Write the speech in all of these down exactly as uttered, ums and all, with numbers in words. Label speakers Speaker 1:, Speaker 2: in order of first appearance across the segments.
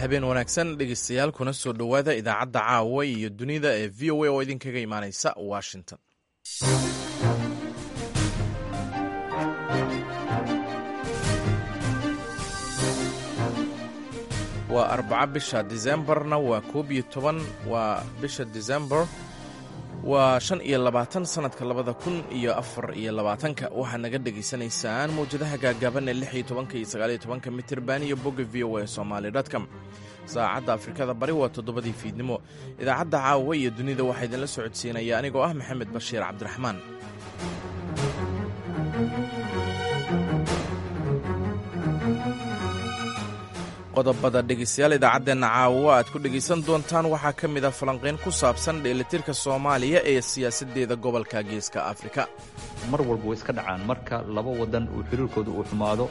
Speaker 1: Habeen wanaagsan, dhegeystayaal, kuna soo dhowaada idaacadda caawa iyo dunida ee V O A oo idinkaga imaaneysa Washington. Waa arbaca, bisha disembarna waa koob iyo toban, waa bisha Disembar waa shan iyo labaatan sanadka labada kun iyo afar iyo labaatanka. Waxaad naga dhegaysanaysaan mawjadaha gaagaaban ee lix iyo tobanka iyo sagaal iyo tobanka mitirban iyo bogga V O A Somali com. Saacadda Afrikada Bari waa toddobadii fiidnimo. Idaacadda caawa iyo dunida waxaa idinla socodsiinaya anigoo ah Maxamed Bashiir Cabdiraxmaan. Qodobada, dhegeystayaal, idaacaddeenna caawa aad ku dhegaysan doontaan waxaa ka mid ah falanqayn ku saabsan dheelitirka Soomaaliya ee siyaasaddeeda gobolka Geeska Afrika.
Speaker 2: Mar walba way iska dhacaan marka laba wadan uu xiriirkooda uu xumaado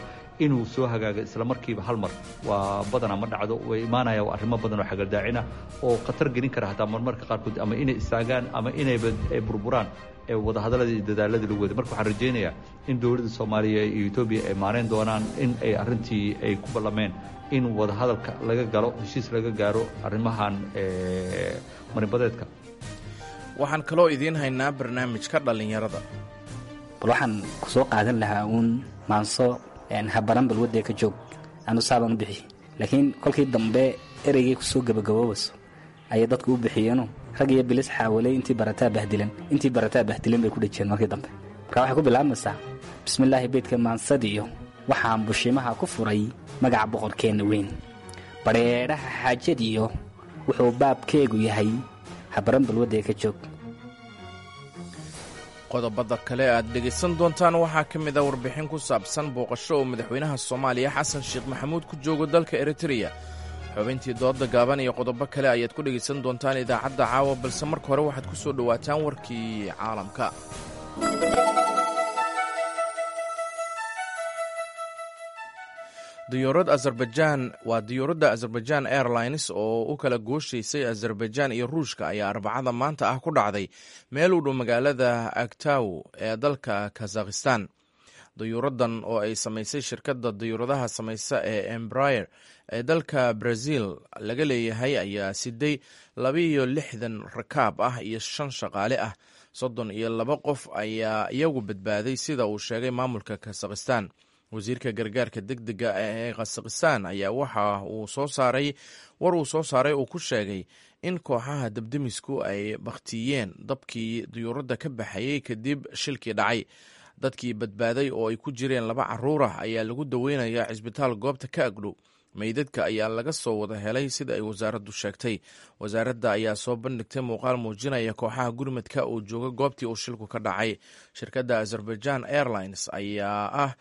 Speaker 2: inuu soo hagaago isla markiiba hal mar waa badanaa ma dhacdo. Way imaanaya waa arrimo badan oo xagaldaacina oo khatar gelin kara hataa marmarka qaarkood ama inay istaagaan ama inayba ay burburaan ee wadahadaladii iyo dadaaladii lagu waday. Marka waxaan rajaynayaa in dowladda Soomaaliya iyo Etoobiya ay maarayn doonaan in ay arrintii ay ku ballameen in wadahadalka laga galo, heshiis laga gaaro arrimahan marinbadeedka.
Speaker 1: Waxaan kaloo idiin haynaa barnaamijka dhallinyarada.
Speaker 3: Bal waxaan ku soo qaadan lahaa uun maanso habaran balwadee ka joog anu saabaan u bixi, laakiin kolkii dambe ereygay kusoo gabagaboobayso ayay dadku u bixiyeeno rag iyo bilis xaawaley intii barataa bahdilan, intii barataa bahdilan bay ku dhejiyeen markii dambe. Marka waxay ku bilaabmaysaa: bismillaahi, beydka maansadiyo waxaan bushimaha ku furay magaca boqorkeenna weyn, badheedhaha xaajadiyo wuxuu baabkeegu yahay habaran balwadee ka joog.
Speaker 1: Qodobada kale aad dhegaysan doontaan waxaa ka mid ah warbixin ku saabsan booqasho oo madaxweynaha Soomaaliya Xasan Sheekh Maxamuud ku joogo dalka Eritreya, xubintii dooda gaaban iyo qodobo kale ayaad ku dhegaysan doontaan idaacadda caawa, balse marka hore waxaad ku soo dhowaataan warkii caalamka. Diyaarad Azerbaijan, waa diyaaradda Azerbaijan Airlines oo u kala gooshaysay Azerbaijan iyo Ruushka, ayaa Arbacada maanta ah ku dhacday meel u dhow magaalada Agtaw ee dalka Kazakhistan. Diyuuraddan oo ay samaysay shirkadda diyuuradaha samaysa ee Embrayer ee dalka Brazil laga leeyahay ayaa siday labaiyo lixdan rakaab ah iyo shan shaqaale ah. Soddon iyo laba qof ayaa iyagu badbaaday, sida uu sheegay maamulka Kazakhistan. Wasiirka gargaarka degdega ee Khasakhistan ayaa waxa uu soo saaray war uu soo saaray uu ku sheegay in kooxaha dabdemisku ay bakhtiyeen dabkii diyuuradda ka baxayay kadib shilkii dhacay. Dadkii badbaaday oo ay ku jireen laba caruur ah ayaa lagu daweynayaa cisbitaal goobta ka agdhow. Meydadka ayaa laga soo wada helay, sida ay wasaaraddu sheegtay. Wasaaradda ayaa soo bandhigtay muuqaal muujinaya kooxaha gurmadka oo jooga goobtii uu shilku ka dhacay. Shirkadda Azerbaijan Airlines ayaa ah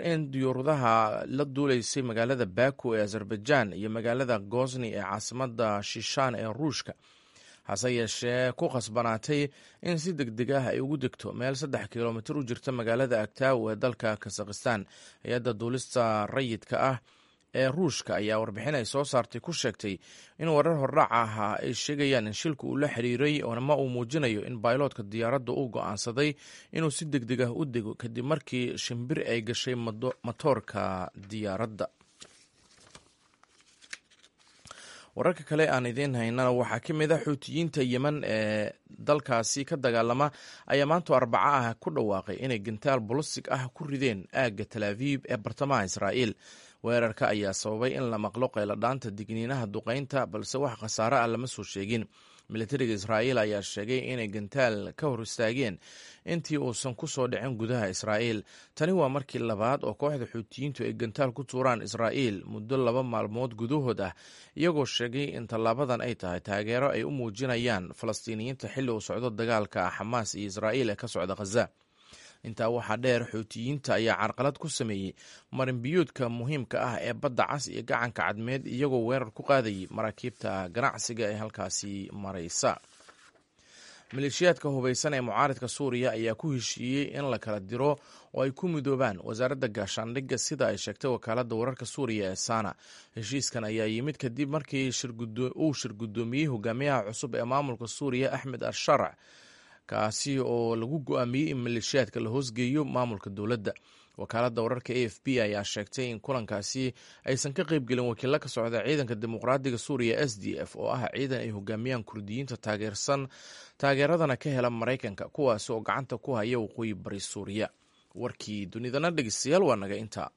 Speaker 1: in diyuuradaha la duuleysay magaalada Baku ee Azerbaijan iyo magaalada Gozni ee caasimada Shishaan ee Ruushka, hase yeeshee ku khasbanaatay in si deg deg ah ay ugu degto meel saddex kilomitir u jirta magaalada Agtaaw ee dalka Kazakhistan. Hay-adda duulista rayidka ah ee Ruushka ayaa warbixin ay soo saartay ku sheegtay in warar hordhac ahaa ay sheegayaan in shilku uu la xiriiray oonama uu muujinayo in bayloodka diyaaradda uu go'aansaday inuu si deg deg ah u dego kadib markii shimbir ay gashay matoorka diyaaradda. Wararka kale aan idiin haynana waxaa ka mid ah Xuutiyiinta Yemen ee dalkaasi ka dagaalama ayaa maanto Arbaco ah ku dhawaaqay inay gantaal bolosig ah ku rideen aagga Talaabiib ee bartamaha Israa'iil. Weerarka ayaa sababay in la maqlo qayladhaanta digniinaha duqeynta, balse wax khasaare ah lama soo sheegin. Militariga Israa'iil ayaa sheegay inay gantaal ka hor istaageen intii uusan ku soo dhicin gudaha Israa'iil. Tani waa markii labaad oo kooxda Xuutiyiintu ay gantaal ku tuuraan Israa'iil muddo laba maalmood gudahood ah, iyagoo sheegay in tallaabadan ay tahay taageero ay u muujinayaan Falastiiniyiinta xilli uu socdo dagaalka Xamaas iyo Israa'iil ee ka socda Khaza. Intaa waxaa dheer, Xuutiyiinta ayaa carqalad ku sameeyey marinbiyoodka muhiimka ah ee Badda Cas iyo Gacanka Cadmeed, iyagoo weerar ku qaadayay maraakiibta ganacsiga ee halkaasi maraysa. Maleeshiyaadka hubaysan ee mucaaridka Suuriya ayaa ku heshiiyey in la kala diro oo ay ku midoobaan wasaaradda gaashaandhigga, sida ay sheegtay wakaaladda wararka Suuriya ee Sana. Heshiiskan ayaa yimid kadib markii uu shirgudoomiyey hogaamiyaha cusub ee maamulka Suuriya, Axmed Asharc, kaasi oo lagu go-aamiyey in maleeshiyaadka la hoosgeeyo maamulka dowladda. Wakaaladda wararka A F B ayaa sheegtay in kulankaasi aysan ka qaybgelin wakiilo ka socda ciidanka dimuqraadiga Suuriya S D F, oo ah ciidan ay hogaamiyaan Kurdiyiinta taageersan taageeradana ka hela Maraykanka, kuwaasi oo gacanta ku haya waqooyi bari Suuriya. Warkii dunidana dhegeystayaal waa naga intaa.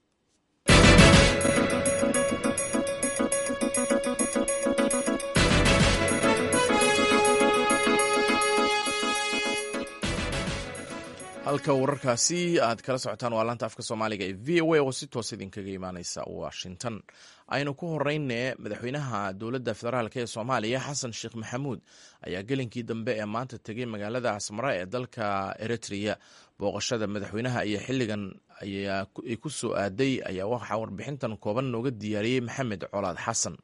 Speaker 1: Halka wararkaasi aad kala socotaan waa laanta afka soomaaliga ee V O A oo si toos idinkaga imaaneysa Washington. Aynu ku horeyne, madaxweynaha dowladda federaalk ee Soomaaliya Xasan Sheekh Maxamuud ayaa gelinkii dambe ee maanta tegay magaalada Asmara ee dalka Eritrea. Booqashada madaxweynaha iyo xilligan ay ku soo aaday ayaa waxaa warbixintan kooban nooga diyaariyey Maxamed Colaad Xasan.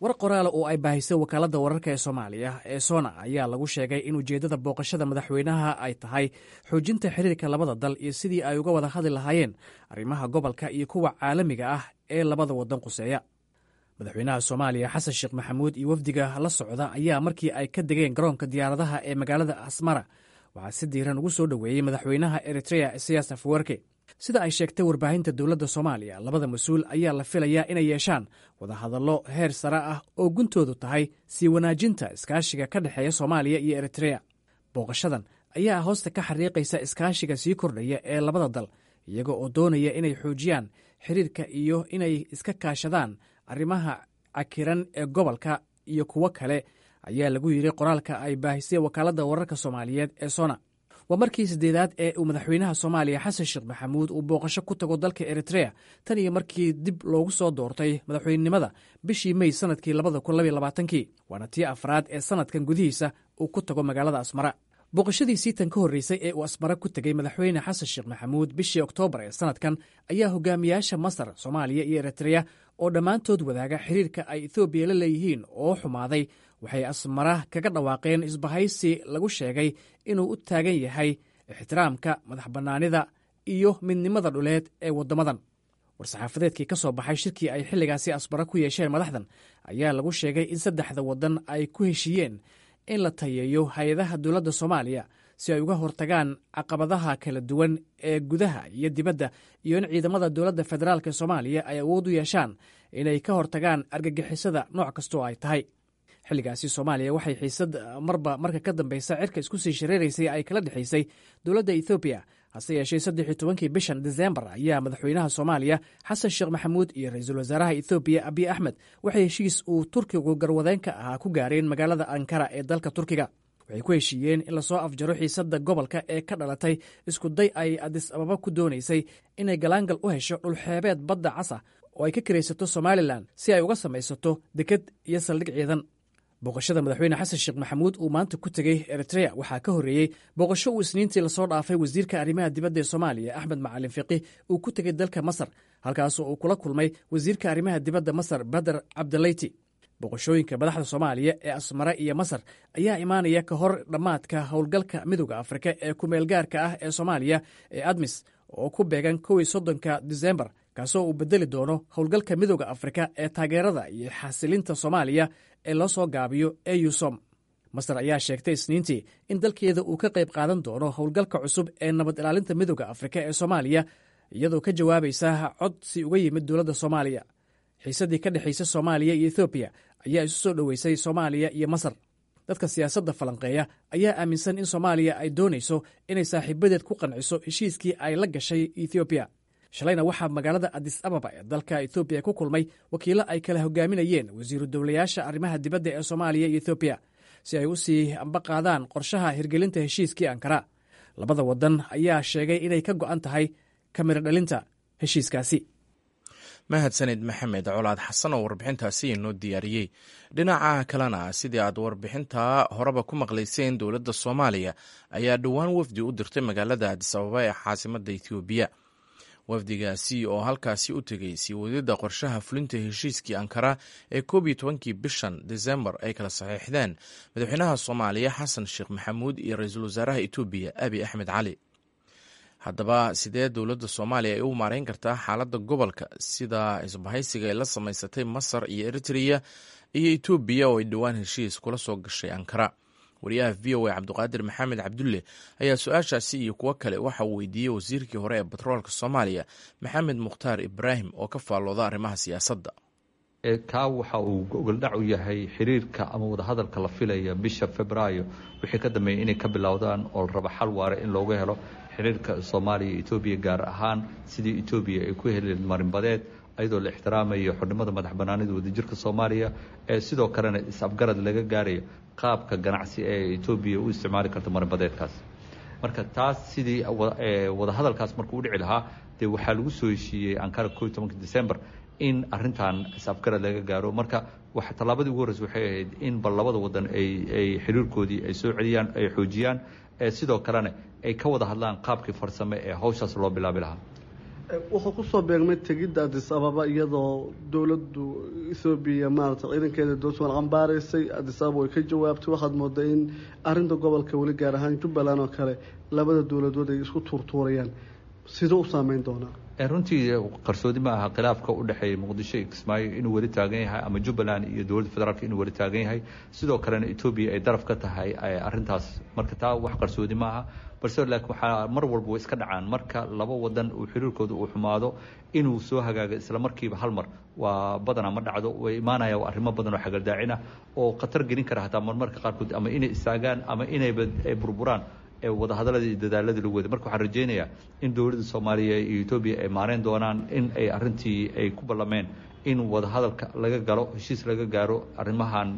Speaker 4: War qoraala oo ay baahisay wakaaladda wararka ee Soomaaliya ee SONA ayaa lagu sheegay in ujeeddada booqashada madaxweynaha ay tahay xoojinta xiriirka labada dal iyo sidii ay uga wada hadli lahaayeen arrimaha gobolka iyo kuwa caalamiga ah ee labada waddan quseeya. Madaxweynaha Soomaaliya Xasan Sheekh Maxamuud iyo wafdiga la socda ayaa markii ay ka degeen garoonka diyaaradaha ee magaalada Asmara waxaa si diiran ugu soo dhoweeyey madaxweynaha Eritrea Siyaas Afwerke. Sida ay sheegtay warbaahinta dowladda Soomaaliya, labada mas-uul ayaa la filayaa inay yeeshaan wadahadallo heer sare ah oo guntoodu tahay sii wanaajinta iskaashiga ka dhexeeya Soomaaliya iyo Eritrea. Booqashadan ayaa hoosta ka xariiqaysa iskaashiga sii kordhaya ee labada dal, iyaga oo doonaya inay xoojiyaan xiriirka iyo inay iska kaashadaan arrimaha cakiran ee gobolka iyo kuwo kale, ayaa lagu yidhi qoraalka ay baahisay wakaaladda wararka soomaaliyeed ee SONA. Waa markii siddeedaad ee uu madaxweynaha Soomaaliya Xasan Sheekh Maxamuud uu booqasho ku tago dalka Eritrea tan iyo markii dib loogu soo doortay madaxweynenimada bishii Mey sanadkii labada kun labaiyo labaatankii, waana tii afraad ee sanadkan gudihiisa uu ku tago magaalada Asmara. Booqashadiisii tan ka horreysay ee uu Asmara ku tegey madaxweyne Xasan Sheekh Maxamuud bishii Oktoobar ee sanadkan ayaa hogaamiyaasha Masar, Soomaaliya iyo Eritrea oo dhammaantood wadaaga xiriirka ay Etoobiya la leeyihiin oo xumaaday waxay Asmara kaga dhawaaqeen isbahaysi lagu sheegay inuu u taagan yahay ixtiraamka madax bannaanida iyo midnimada dhuleed ee waddamadan. War-saxaafadeedkii ka soo baxay shirkii ay xilligaasi Asmara ku yeesheen madaxdan ayaa lagu sheegay in saddexda waddan ay ku heshiiyeen in la tayeeyo hay-adaha dowladda Soomaaliya si ay uga hortagaan caqabadaha kala duwan ee gudaha iyo dibadda, iyo in ciidamada dowladda federaalk Soomaaliya ay awood u yeeshaan inay ka hortagaan argagixisada nooc kastoo ay tahay. Xilligaasi Soomaaliya waxay xiisad marba marka ka dambeysa cirka isku sii shareeraysay ay kala dhexaysay dowladda Ethoobiya. Hase yeeshee, saddex iyo tobankii bishan Desembar ayaa madaxweynaha Soomaaliya Xasan Sheekh Maxamuud iyo ra-iisul wasaaraha Ethoobiya Abiy Axmed waxay heshiis uu Turkigu garwadeenka ahaa ku gaareen magaalada Ankara ee dalka Turkiga. Waxay ku heshiiyeen in lasoo afjaro xiisadda gobolka ee ka dhalatay isku day ay Adis Ababa ku doonaysay inay galaangal u hesho dhulxeebeed badda casa oo ay ka kiraysato Somalilan si ay uga samaysato deked iyo saldhig ciidan. Booqashada madaxweyne Xasan Sheekh Maxamuud uu maanta ku tegey Eritrea waxaa ka horreeyey booqasho uu Isniintii lasoo dhaafay wasiirka arrimaha dibadda ee Soomaaliya Axmed Macalin Fiqih uu ku tegey dalka Masar, halkaasoo uu kula kulmay wasiirka arrimaha dibadda Masar Bader Cabdalayti. Booqashooyinka madaxda Soomaaliya ee Asmara iyo Masar ayaa imaanaya ka hor dhammaadka howlgalka Midowda Afrika ee kumeelgaarka ah ee Soomaaliya ee ADMIS oo ku beegan kow iyo soddonka Disembar, kaasoo uu bedeli doono howlgalka Midowda Afrika ee taageerada iyo xasilinta Soomaaliya ee loo soo gaabiyo EUSOM. Masar ayaa sheegtay Isniintii in dalkeeda uu ka qayb qaadan doono howlgalka cusub ee nabad ilaalinta Midowda Afrika ee Soomaaliya, iyadoo ka jawaabaysa codsi uga yimid dowladda Soomaaliya. Xiisaddii ka dhexaysa Soomaaliya iyo Ethoobiya ayaa isu soo dhoweysay Soomaaliya iyo Masar. Dadka siyaasadda falanqeeya ayaa aaminsan in Soomaaliya ay doonayso inay saaxiibadeed ku qanciso heshiiskii ay la gashay Ethoobiya. Shalayna waxaa magaalada Adis Ababa ee dalka Ethoobiya ku kulmay wakiillo ay kala hogaaminayeen wasiiru dowlayaasha arrimaha dibadda ee Soomaaliya iyo Ethoobiya si ay u sii amba qaadaan qorshaha hirgelinta heshiiskii Ankara. Labada waddan ayaa sheegay inay ka go'an tahay kamiro dhalinta heshiiskaasi.
Speaker 1: Mahadsanid Maxamed Colaad Xasan oo warbixintaasi inoo diyaariyey. Dhinaca kalena, sidii aad warbixinta horeba ku maqlayseen, dowladda Soomaaliya ayaa dhowaan wafdi u dirtay magaalada Adis Ababa ee caasimadda Ethoobiya, wafdigaasi oo halkaasi u tegey sii wadida qorshaha fulinta heshiiskii Ankara ee koob iyo tobankii bishan Desembar ay kala saxiixdeen madaxweynaha Soomaaliya Xasan Sheekh Maxamuud iyo ra-iisul wasaaraha Etoobiya Abi Axmed Cali. Haddaba, sidee dowladda Soomaaliya ay u maareyn kartaa xaaladda gobolka, sida isbahaysiga ay la samaysatay Masar iyo Eritrea iyo Etoobiya oo ay dhowaan heshiis kula soo gashay Ankara? Wariyaha V O A Cabdiqaadir Maxamed Cabdulle ayaa su-aashaasi iyo kuwo kale waxa uu weydiiyey wasiirkii hore ee batroolka Soomaaliya, Maxamed Mukhtaar Ibraahim, oo ka faallooda arrimaha siyaasadda.
Speaker 2: Kaa waxa uu gogoldhac u yahay xiriirka ama wadahadalka la filaya bisha Febraayo wixii ka dambeeyay inay ka bilowdaan, oo la raba xal waare in looga helo xiriirka Soomaaliya iyo Etoobiya, gaar ahaan sidii Etoobiya ay ku heli marinbadeed, ayadoo la ixtiraamayo xornimada, madax banaanida, wadajirka Soomaaliya, ee sidoo kalena is-afgarad laga gaarayo qaabka ganacsi ee Etoobiya u isticmaali karto marinbadeedkaas. Marka taas sidii wadahadalkaas markuu u dhici lahaa, dee waxaa lagu soo heshiiyey Ankara ko iyo tobanka December in arintan is-afgarad laga gaaro. Marka tallaabadii ugu horreysa waxay ahayd in bal labada wadan ay ay xiriirkoodii ay soo celiyaan, ay xoojiyaan, sidoo kalena ay ka wada hadlaan qaabkii farsame ee hawshaas loo bilaabi lahaa.
Speaker 5: Wuxuu kusoo beegmay tegidda Addis Ababa iyadoo dowladdu Ethoobiya maarata ciidankeeda dowladda cambaaraysay. Addis Ababa way ka jawaabtay. Waxaad moodaa in arrinta gobolka weli, gaar ahaan Jubbaland oo kale, labada dowladood ay isku tuurtuurayaan. Siduu u saameyn doonaa?
Speaker 2: Runtii qarsoodi ma aha khilaafka u dhexeeya Muqdisho iyo Kismaayo inuu weli taagan yahay, ama Jubbaland iyo dowladda federaalka inuu weli taagan yahay, sidoo kalena Etoobiya ay daraf ka tahay arrintaas. Marka taa wax qarsoodi ma aha, balse laakiin waxaa mar walba way iska dhacaan marka laba wadan uu xiriirkooda uu xumaado inuu soo hagaago isla markiiba hal mar waa badanaa ma dhacdo. Way imaanaya arrimo badan oo xagaldaacin ah oo khatar gelin kara hataa marmarka qaarkood ama inay istaagaan ama inayba burburaan wadahadaladii iyo dadaaladii lagu waday. Marka waxaan rajaynayaa in dowladda Soomaaliya iyo Etoobiya ay maareyn doonaan in ay arrintii ay ku ballameen in wadahadalka laga galo, heshiis laga gaaro arrimahan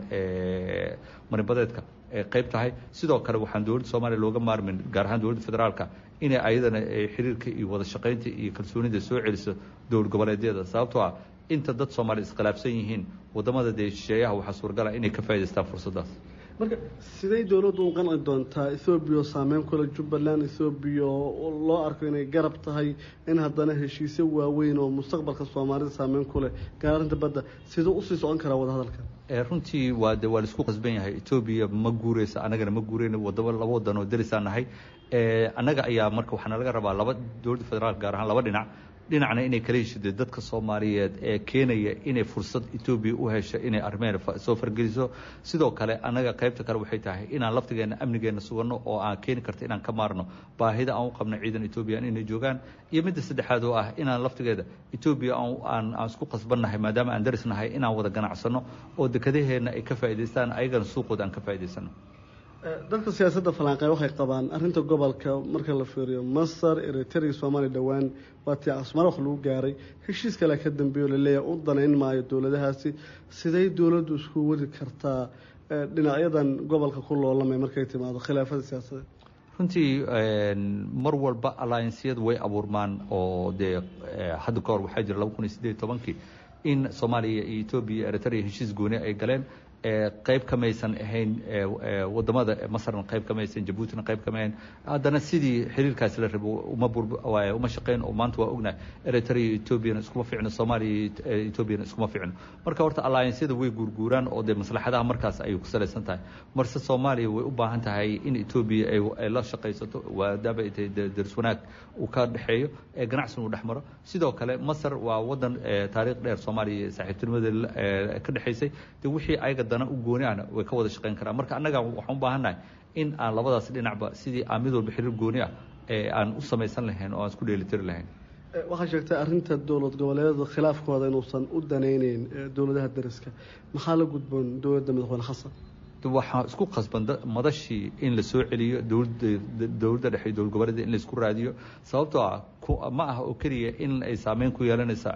Speaker 2: marinbadeedka ay qayb tahay. Sidoo kale waxaan dowladda Soomaaliya looga maarmin, gaar ahaan dowladda federaalka, inay ayadana xiriirka iyo wada shaqaynta iyo kalsoonida soo celiso dowlad goboleedyada, sababtoo ah inta dad Soomaaliya iskhilaafsan yihiin wadamada dee shisheeyaha waxaa suuragala inay ka faa'idaystaan fursaddaas.
Speaker 5: Marka siday dowladdu u qanci doontaa Ethoobiya oo saameyn kule Jubbaland, Ethoobiya oo loo arko inay garab tahay, in haddana heshiisyo waaweyn oo mustaqbalka Soomaalida saameyn ku leh, gaar arrinta badda, siduu usii socon karaa wadahadalka?
Speaker 2: Runtii waa de waa laisku qasban yahay. Etoobiya ma guureysa, annagana ma guureyno. Wadaba laba wadan oo derisaan nahay annaga ayaa. Marka waxaana laga rabaa laba dowladda federaalka, gaar ahaan laba dhinac: dhinacna inay kala heshide dadka Soomaaliyeed ee keenaya inay fursad Etoobiya u hesho inay arrimeena soo fargeliso. Sidoo kale annaga qaybta kale waxay tahay inaan laftigeena amnigeena suganno oo aan keeni karta inaan ka maarno baahida aan u qabno ciidan Etoobiya inay joogaan. Iyo midda saddexaad oo ah inaan laftigeeda Etoobiya aan aan isku qasbannahay, maadaama aan darisnahay, inaan wada ganacsano oo dekadaheenna ay ka faa'idaystaan, ayagana suuqooda aan ka faa'idaysano.
Speaker 5: Dadka siyaasadda falanqeey waxay qabaan arrinta gobolka marka la fiiriyo Masar, Eritrea, Soomaaliya dhowaan waa tii Casmaro wax lagu gaaray, heshiis kale ka dambeeyo laleeyahay u danayn maayo dowladahaasi. Siday dowladdu isku wadi kartaa dhinacyadan gobolka ku loolamay markay timaado khilaafada siyaasadeed?
Speaker 2: Runtii mar walba allianceyadu way abuurmaan, oo dee hadda kahor waxaa jira laba kun iyo siddeed iyo tobankii in Soomaaliya iyo Etoobiya iyo Eritrea heshiis gooni ay galeen. Qayb kamaysan ahayn wadamada, Masarna qayb kamaysan, Jabuutina qayb kamahayn. Haddana sidii xiriirkaasi la rabo uma uma shaqeyn, oo maanta waa ognahay Eritrea iyo Etoobiyana iskuma ficno, Soomaaliya iyo Etoobiyana iskuma ficno. Marka horta allianceyada way guurguuraan oo dee maslaxadaha markaas ayay ku salaysan tahay. Marse Soomaaliya way u baahan tahay in Etoobiya ay la shaqaysato, maadaama ay tahay daris wanaag uu ka dhexeeyo, ganacsiguna uu dhex maro. Sidoo kale Masar waa wadan taariikh dheer Soomaaliya saaxiibtinimada ka dhexaysay, dee wixii ayaga dana u gooni ahna way ka wada shaqeyn karaan. Marka annaga waxaan u baahannahay in aan labadaas dhinacba sidii aan mid walba xiriir gooni ah ee aan u samaysan lahayn oo aan isku dheelitiri lahayn.
Speaker 5: Waxaa sheegtay arrinta dowlad goboleedyada khilaafkooda inuusan u danayneyn dowladaha dariska. Maxaa la gudboon dowladda madaxweyne Xasan?
Speaker 2: Waxaa isku qasban madashii in la soo celiyo, dowladda dowladda dhexe iyo dowlad goboleeda in la isku raadiyo, sababtoo ah ma aha oo keliya in ay saameyn ku yeelanaysaa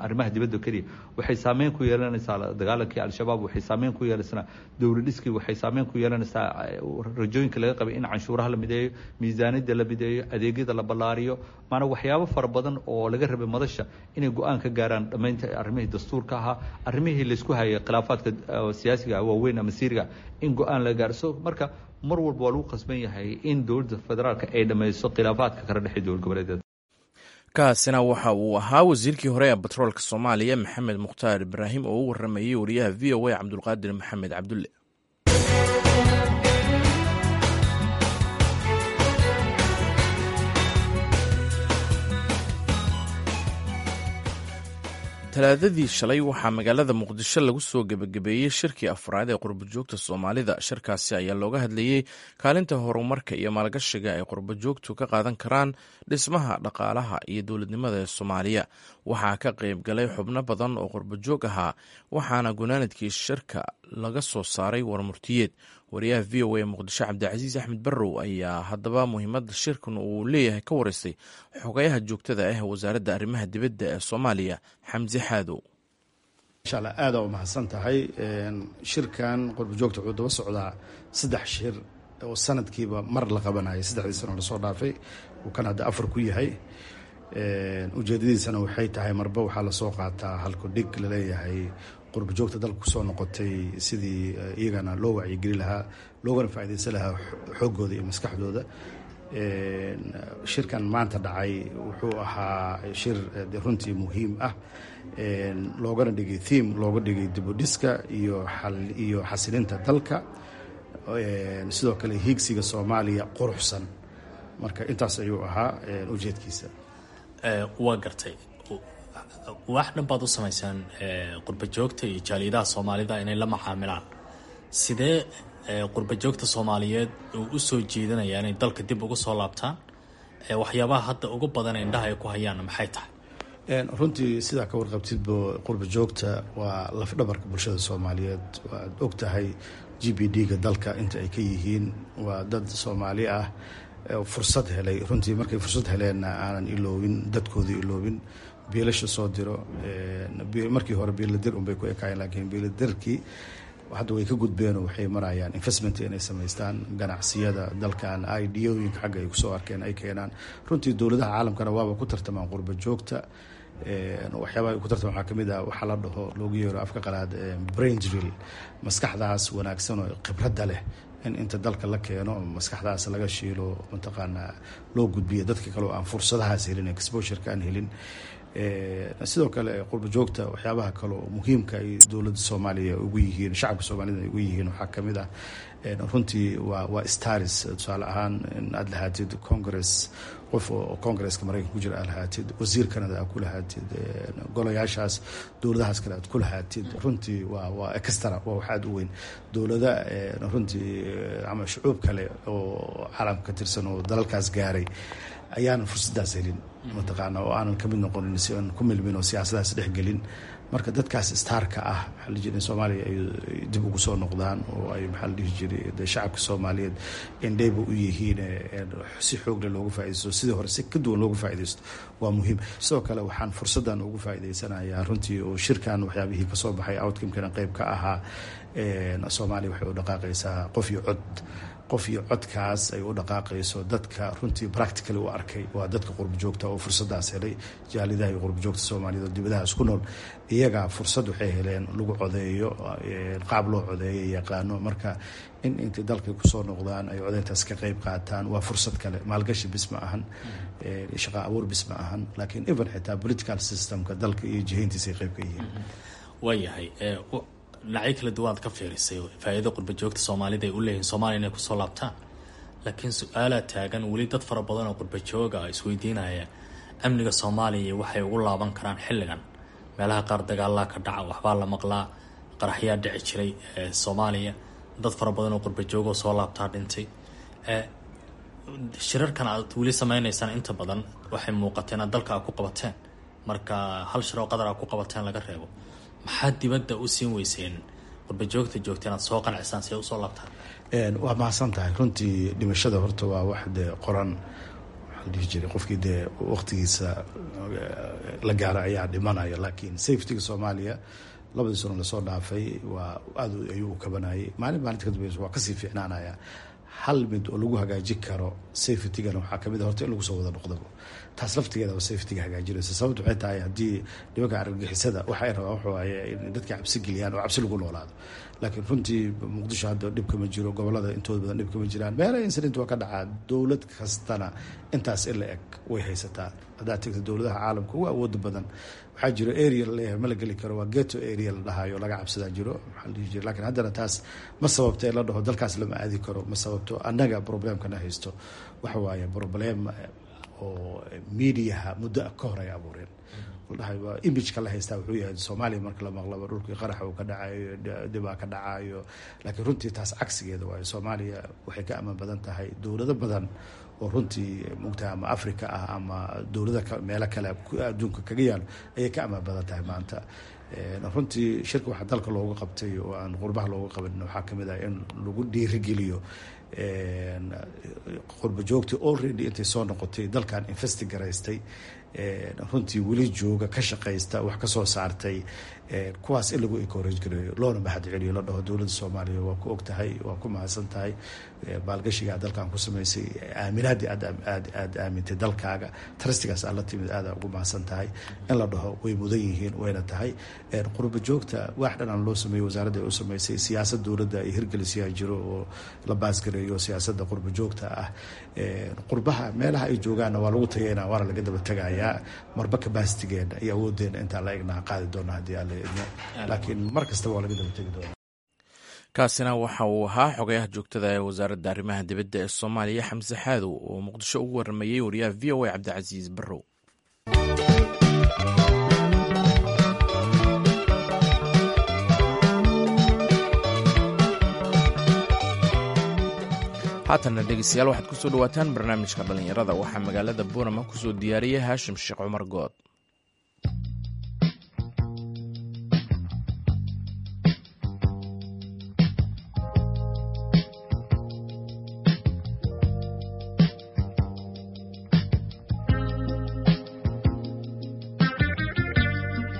Speaker 2: arrimaha dibadda keliya. Waxay saameyn ku yeelanaysaa dagaalakii Al-Shabaab, waxay saameyn ku yeelanaysaa dowlad dhiskii, waxay saameyn ku yeelanaysaa rajooyinka laga qabay in canshuuraha la mideeyo, miisaaniyadda la mideeyo, adeegyada la ballaariyo, maanaa waxyaabo fara badan oo laga rabay madasha inay go-aan ka gaaraan dhammaynta arrimihii dastuurka ahaa, arrimihii laysku hayay, khilaafaadka siyaasiga waaweyn ama siiriga in go-aan laga gaaro. So marka mar walba waa lagu qasban yahay in dowladda federaalka ay dhammayso khilaafaadka kala dhexey dowlad goboleedyada.
Speaker 1: Kaasina waxa uu ahaa wasiirkii hore ee batroolka Soomaaliya, Maxamed Mukhtaar Ibraahim, oo u waramayey wariyaha V O A Cabdulqaadir Maxamed Cabdulle. Talaadadii shalay waxaa magaalada Muqdisho lagu soo gebagabeeyey shirkii afraad ee qurbajoogta Soomaalida. Shirkaasi ayaa looga hadlayey kaalinta horumarka iyo maalgashiga ay qurbajoogtu ka qaadan karaan dhismaha dhaqaalaha iyo dowladnimada ee Soomaaliya. Waxaa ka qayb galay xubno badan oo qurbajoog ahaa, waxaana gunaanadkii shirka laga soo saaray warmurtiyeed. Wariyaha V O A Muqdisho Cabdicasiis Axmed Barrow ayaa haddaba muhiimadda shirkan uu leeyahay ka wareystay xogayaha joogtada ah wasaaradda arrimaha dibadda ee Soomaaliya, Xamse Xaadow.
Speaker 6: Insha Allah, aada u mahadsan tahay. Shirkan qurbajoogta wuxuu daba socdaa saddex shir oo sanadkiiba mar la qabanayay saddexdii sano lasoo dhaafay, uu kan hadda afar ku yahay. Ujeedadiisana waxay tahay marba waxaa lasoo qaataa halku dhig laleeyahay qurbajoogta dalka kusoo noqotay, sidii iyagana loo wacyigeli lahaa loogana faaidaysan lahaa xooggooda iyo maskaxdooda. Shirkan maanta dhacay wuxuu ahaa shir runtii muhiim ah, loogana dhigay theme looga dhigay dibudhiska iyo iyo xasilinta dalka, sidoo kale hiigsiga Soomaaliya quruxsan. Marka intaas ayuu ahaa ujeedkiisa.
Speaker 7: Waa gartay. Wax dhan baad u samaysaan qurbajoogta iyo jaaliyadaha Soomaalida inay la macaamilaan. Sidee qurbajoogta Soomaaliyeed uu u soo jeedinayaa inay dalka dib ugu soo laabtaan? Waxyaabaha hadda ugu badan indhaha ay ku hayaan maxay tahay?
Speaker 6: Runtii sidaa ka warqabtidbo, qurbajoogta waa lafdhabarka bulshada Soomaaliyeed. Waad og tahay G D P-ga dalka inta ay ka yihiin. Waa dad Soomaali ah, fursad helay. Runtii markay fursad heleenna aanan iloobin dadkoodii, iloobin biilasha soo diro. Markii hore biiladir unbay ku ekaayeen, laakiin biiladirkii hadda way ka gudbeenoo waxay marayaan investment inay samaystaan ganacsiyada dalkan, ideooyinka xagga ay kusoo arkeen ay keenaan. Runtii dowladaha caalamkana waaba ku tartamaan qurba joogta. Waxyaabaha ay ku tartamaan waxaa kamid ah waxaa la dhaho, loogu yeero afka qalaad, brain drill, maskaxdaas wanaagsan oo khibradda leh in inta dalka la keeno maskaxdaas laga shiilo, mataqaanaa, loo gudbiyo dadka kale oo aan fursadahaas helin, exposureka aan helin. Sidoo kale qurba joogta waxyaabaha kale oo muhiimka ay dowladda Soomaaliya ugu yihiin, shacabka Soomaalida ay ugu yihiin, waxaa kamid ah runtii waa waa stars. Tusaale ahaan, in aad lahaatid Congress, qof oo Congresska Maraykanka ku jira aad lahaatid, wasiir Canada aad ku lahaatid, golayaashaas dowladahaas kale aad ku lahaatid, runtii waa waa extra, waa wax aad u weyn. Dowlada runtii ama shucuub kale oo caalamka ka tirsan oo dalalkaas gaaray ayaanan fursadaas helin, mataqaana, oo aanan kamid noqonin, si aan ku milmin oo siyaasadaas dhexgelin. Marka dadkaas starka ah, maxaa la jiray, in Soomaaliya ay dib ugu soo noqdaan oo ay, maxaa la dhihi jiray, de shacabka Soomaaliyeed indheyba u yihiin, si xoogle loogu faaidaysto, sidii hore si ka duwan loogu faaidaysto, waa muhiim. Sidoo kale waxaan fursaddan ugu faa'idaysanayaa runtii oo shirkan waxyaabihii kasoo baxay outcome-kana qeyb ka ahaa, Soomaaliya waxay u dhaqaaqaysaa qof iyo cod. Qof iyo codkaas ay u dhaqaaqayso, dadka runtii practically u arkay waa dadka qurba joogta oo fursadaas helay, jaalidaha iyo qurba joogta Soomaaliyeed oo dibadahaas ku nool. Iyagaa fursad waxay heleen lagu codeeyo, qaab loo codeeyo yaqaano. Marka in intay dalka kusoo noqdaan ay codeyntaas ka qeyb qaataan waa fursad kale. Maalgashi bis ma ahan, shaqa abuur bis ma ahan, laakiin even xitaa political systemka dalka iyo jihayntiisa ay qeyb ka yihiin.
Speaker 7: Waayahay, dhinacyo kala duwan aad ka fiirisay faa-iidada qurba joogta Soomaalida ay u leeyihin Soomaaliya inay kusoo laabtaan, laakiin su-aalaa taagan weli. Dad fara badan oo qurba jooga isweydiinaya amniga Soomaaliya waxay ugu laaban karaan xilligan. Meelaha qaar dagaalaa ka dhaca, waxbaa la maqlaa, qaraxyaa dhici jiray Soomaaliya, dad fara badan oo qurba joogoo soo laabtaa dhintay. Shirarkan aad weli sameyneysaan inta badan waxay muuqateen aad dalka aad ku qabateen, marka hal shir oo Qadar aad ku qabateen laga reebo, maxaa dibadda u siin weyseen qurba joogta joogta inaad soo qancisaan si ay usoo laabtaan?
Speaker 6: Waa mahadsan tahay. Runtii dhimashada horta waa wax dee qoran, waxaa la dhihi jiray qofkii dee waqtigiisa la gaaro ayaa dhimanaya. Laakiin safetyga Soomaaliya labadii sano lasoo dhaafay waa aad ayuu u kabanayay. Maalin maalinta ka dambeysa waa kasii fiicnaanaya. Hal mid oo lagu hagaajin karo safetygana waxaa kamid a horta in lagu soo wada noqdabo. Taas laftigeeda safetyga hagaajinaysa. Sababta waxay tahay, haddii nimanka argagixisada waxa ay rabaan waxa waaye in dadka cabsi geliyaan oo cabsi lagu noolaado. Laakiin runtii Muqdisho hadda dhibka ma jiro, gobolada intooda badan dhibka ma jiraan. Meelaha incident waa ka dhacaa, dowlad kastana intaas in la eg way haysataa. Haddaad tegto dowladaha caalamka ugu awooda badan, waxaa jiro area laleeyahay ma la geli karo, waa ghetto area la dhahayo, laga cabsadaa jiro, maxaa la dhihi jira. Lakiin haddana taas ma sababto in la dhaho dalkaas lama aadi karo, ma sababto. Annaga problemkana haysto waxa waaye problem oo mediaha muddo ka hor ay abuureen. Dhahay imageka la haystaa wuxuu yahay Soomaaliya marka la maqlaba dhulkii qaraxa uu ka dhacayo, dhibaa ka dhacayo, laakiin runtii taas cagsigeeda waayo. Soomaaliya waxay ka amaan badan tahay dowlado badan oo runtii mugtaha ama Africa ah ama dowlada meelo kale adduunka kaga yaalo ayay ka amaan badan tahay maanta. Runtii shirka waxaa dalka looga qabtay oo aan qurbaha looga qaban waxaa kamid ah in lagu dhiirigeliyo qurba joogtii already intay soo noqotay dalkan invest garaystay, runtii weli jooga, ka shaqaysta, wax ka soo saartay, kuwaas in lagu encourage gareeyo loona mahad celiyo, la dhaho dowladda Soomaaliya waa ku og tahay, waa ku mahadsan tahay maalgashigaa dalkan ku samaysay, aaminaadii aad aad aad aamintay dalkaaga, trustigaas aad la timid, aada ugu mahadsan tahay in la dhaho. Way mudan yihiin, wayna tahay. Qurba joogta wax dhan aan loo sameeyey, wasaaradda ay u samaysay, siyaasad dowladda ay hirgelisiyaa jiro oo la pass gareeyo siyaasadda qurba joogta ah. Qurbaha meelaha ay joogaanna waa lagu tageynaa, waana laga daba tegayaa marba capacitygeena iyo awoodeena intaa la egnaha qaadi doona haddii Alla idmo, laakiin mar kastaba waa laga daba tegi doona.
Speaker 1: Kaasina waxa uu ahaa xogayaha joogtada ee wasaaradda arrimaha dibadda ee Soomaaliya, Xamse Xaadow, oo Muqdisho ugu waramayey wariyaha V O A Cabdicasiis Barrow. Haatanna dhegeystayaal, waxaad kusoo dhawaataan barnaamijka dhallinyarada. Waxaa magaalada Boorama kusoo diyaariyey Haashim Sheekh Cumar Good.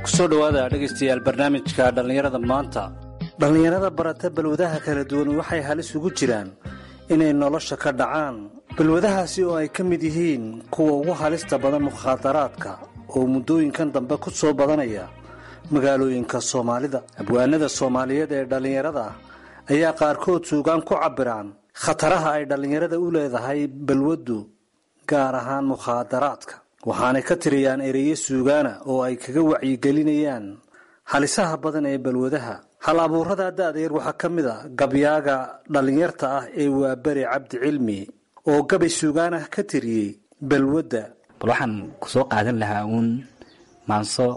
Speaker 8: Kusoo dhowaada dhegaystayaal barnaamijka dhallinyarada maanta. Dhallinyarada barata balwadaha kala duwan waxay halis ugu jiraan inay nolosha ka dhacaan, balwadahaasi oo ay ka mid yihiin kuwa ugu halista badan mukhaadaraadka oo muddooyinkan dambe ku soo badanaya magaalooyinka Soomaalida. Abwaanada Soomaaliyeed ee dhallinyarada ah ayaa qaarkood suugaan ku cabbiraan khataraha ay dhallinyarada u leedahay balwaddu, gaar ahaan mukhaadaraadka, waxaanay ka tiriyaan ereyo suugaana oo ay kaga wacyigelinayaan halisaha badan ee balwadaha. Hal abuurada da'da yar waxaa ka mid a gabyaaga dhallinyarta ah ee Waaberi Cabdi Cilmi oo gabay suugaan ah ka tiriyey balwadda.
Speaker 3: Bal waxaan kusoo qaadan lahaa uun maanso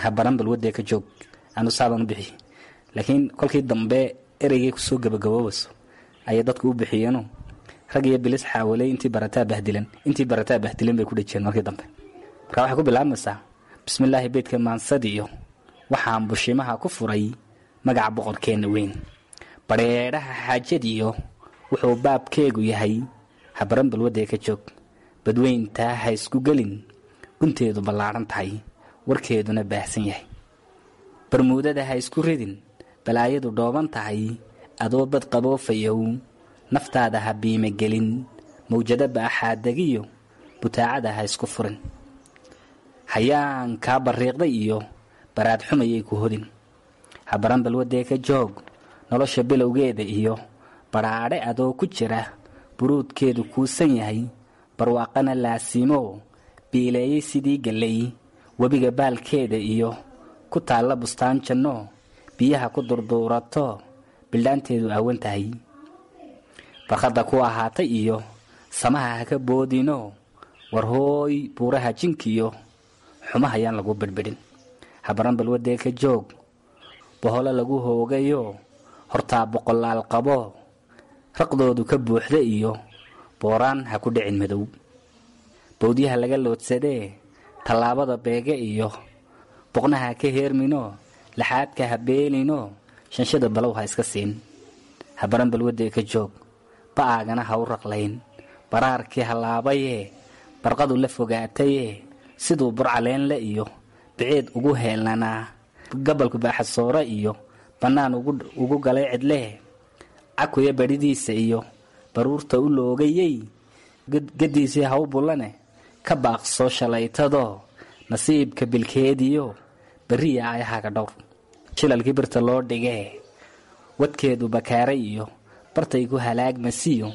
Speaker 3: habaran balwadee ka joog, anu saabaan u bixi, laakiin kolkii dambe ereygay kusoo gabagaboobayso ayay dadku u bixiyeeno, rag iyo bilis xaawaley intii barataa bahdilan, intii barataa bahdilan bay ku dhejiyeen markii dambe. Marka waxay ku bilaabmaysaa: Bismillaahi, beydka maansadiyo waxaan bushimaha ku furay magaca boqorkeenna weyn, badheedhaha xaajadiyo wuxuu baabkeegu yahay habaran balwadee ka joog, badweyntaa ha isku gelin gunteedu ballaadhan tahay, warkeeduna baahsan yahay, barmuudada ha isku ridin balaayadu dhooban tahay, adoo bad qaboofayow naftaada ha biimagelin, mawjado baaxaadegiyo butaacada ha isku furin, hayaan kaa barriiqday iyo baraad xumayay ku hodin, habaran balwadee ka joog, nolosha bilowgeeda iyo badhaadhe adoo ku jira buruudkeedu kuusan yahay, barwaaqana laasimoo biileeyey sidii galley webiga baalkeeda iyo ku taalla bustaan janno, biyaha ku durduurato bildhaanteedu aawan tahay, barkhadda ku ahaatay iyo samaha ha ka boodino, war hooy buuraha jinkiyo xumaha yaan lagu bidhbidhin, habaran balwadee ka joog, boholo lagu hoogayo hortaa boqolaal qabo raqdoodu ka buuxda iyo booraan ha ku dhicin madow, bowdyaha laga loodsadee tallaabada beege iyo boqnaha ka heermino, laxaadka ha beelino, shanshada balow ha iska siin, habaran balwadee ka joog, ba'aagana ha u raqlayn baraarkii halaabayee barqadu la fogaatayee siduu burcaleenle iyo biciid ugu heelnanaa, gabalku baaxasoore iyo bannaan ugu galay cidlee, cakuya badhidiisa iyo baruurta u loogayey, gadiisii ha u bullane ka baaqsoo shalaytadoo nasiibka bilkeediyo berriya ayahaga dhowr, shilalkii birta loo dhigee wadkeedu bakaaray iyo bartay ku halaagmasiyo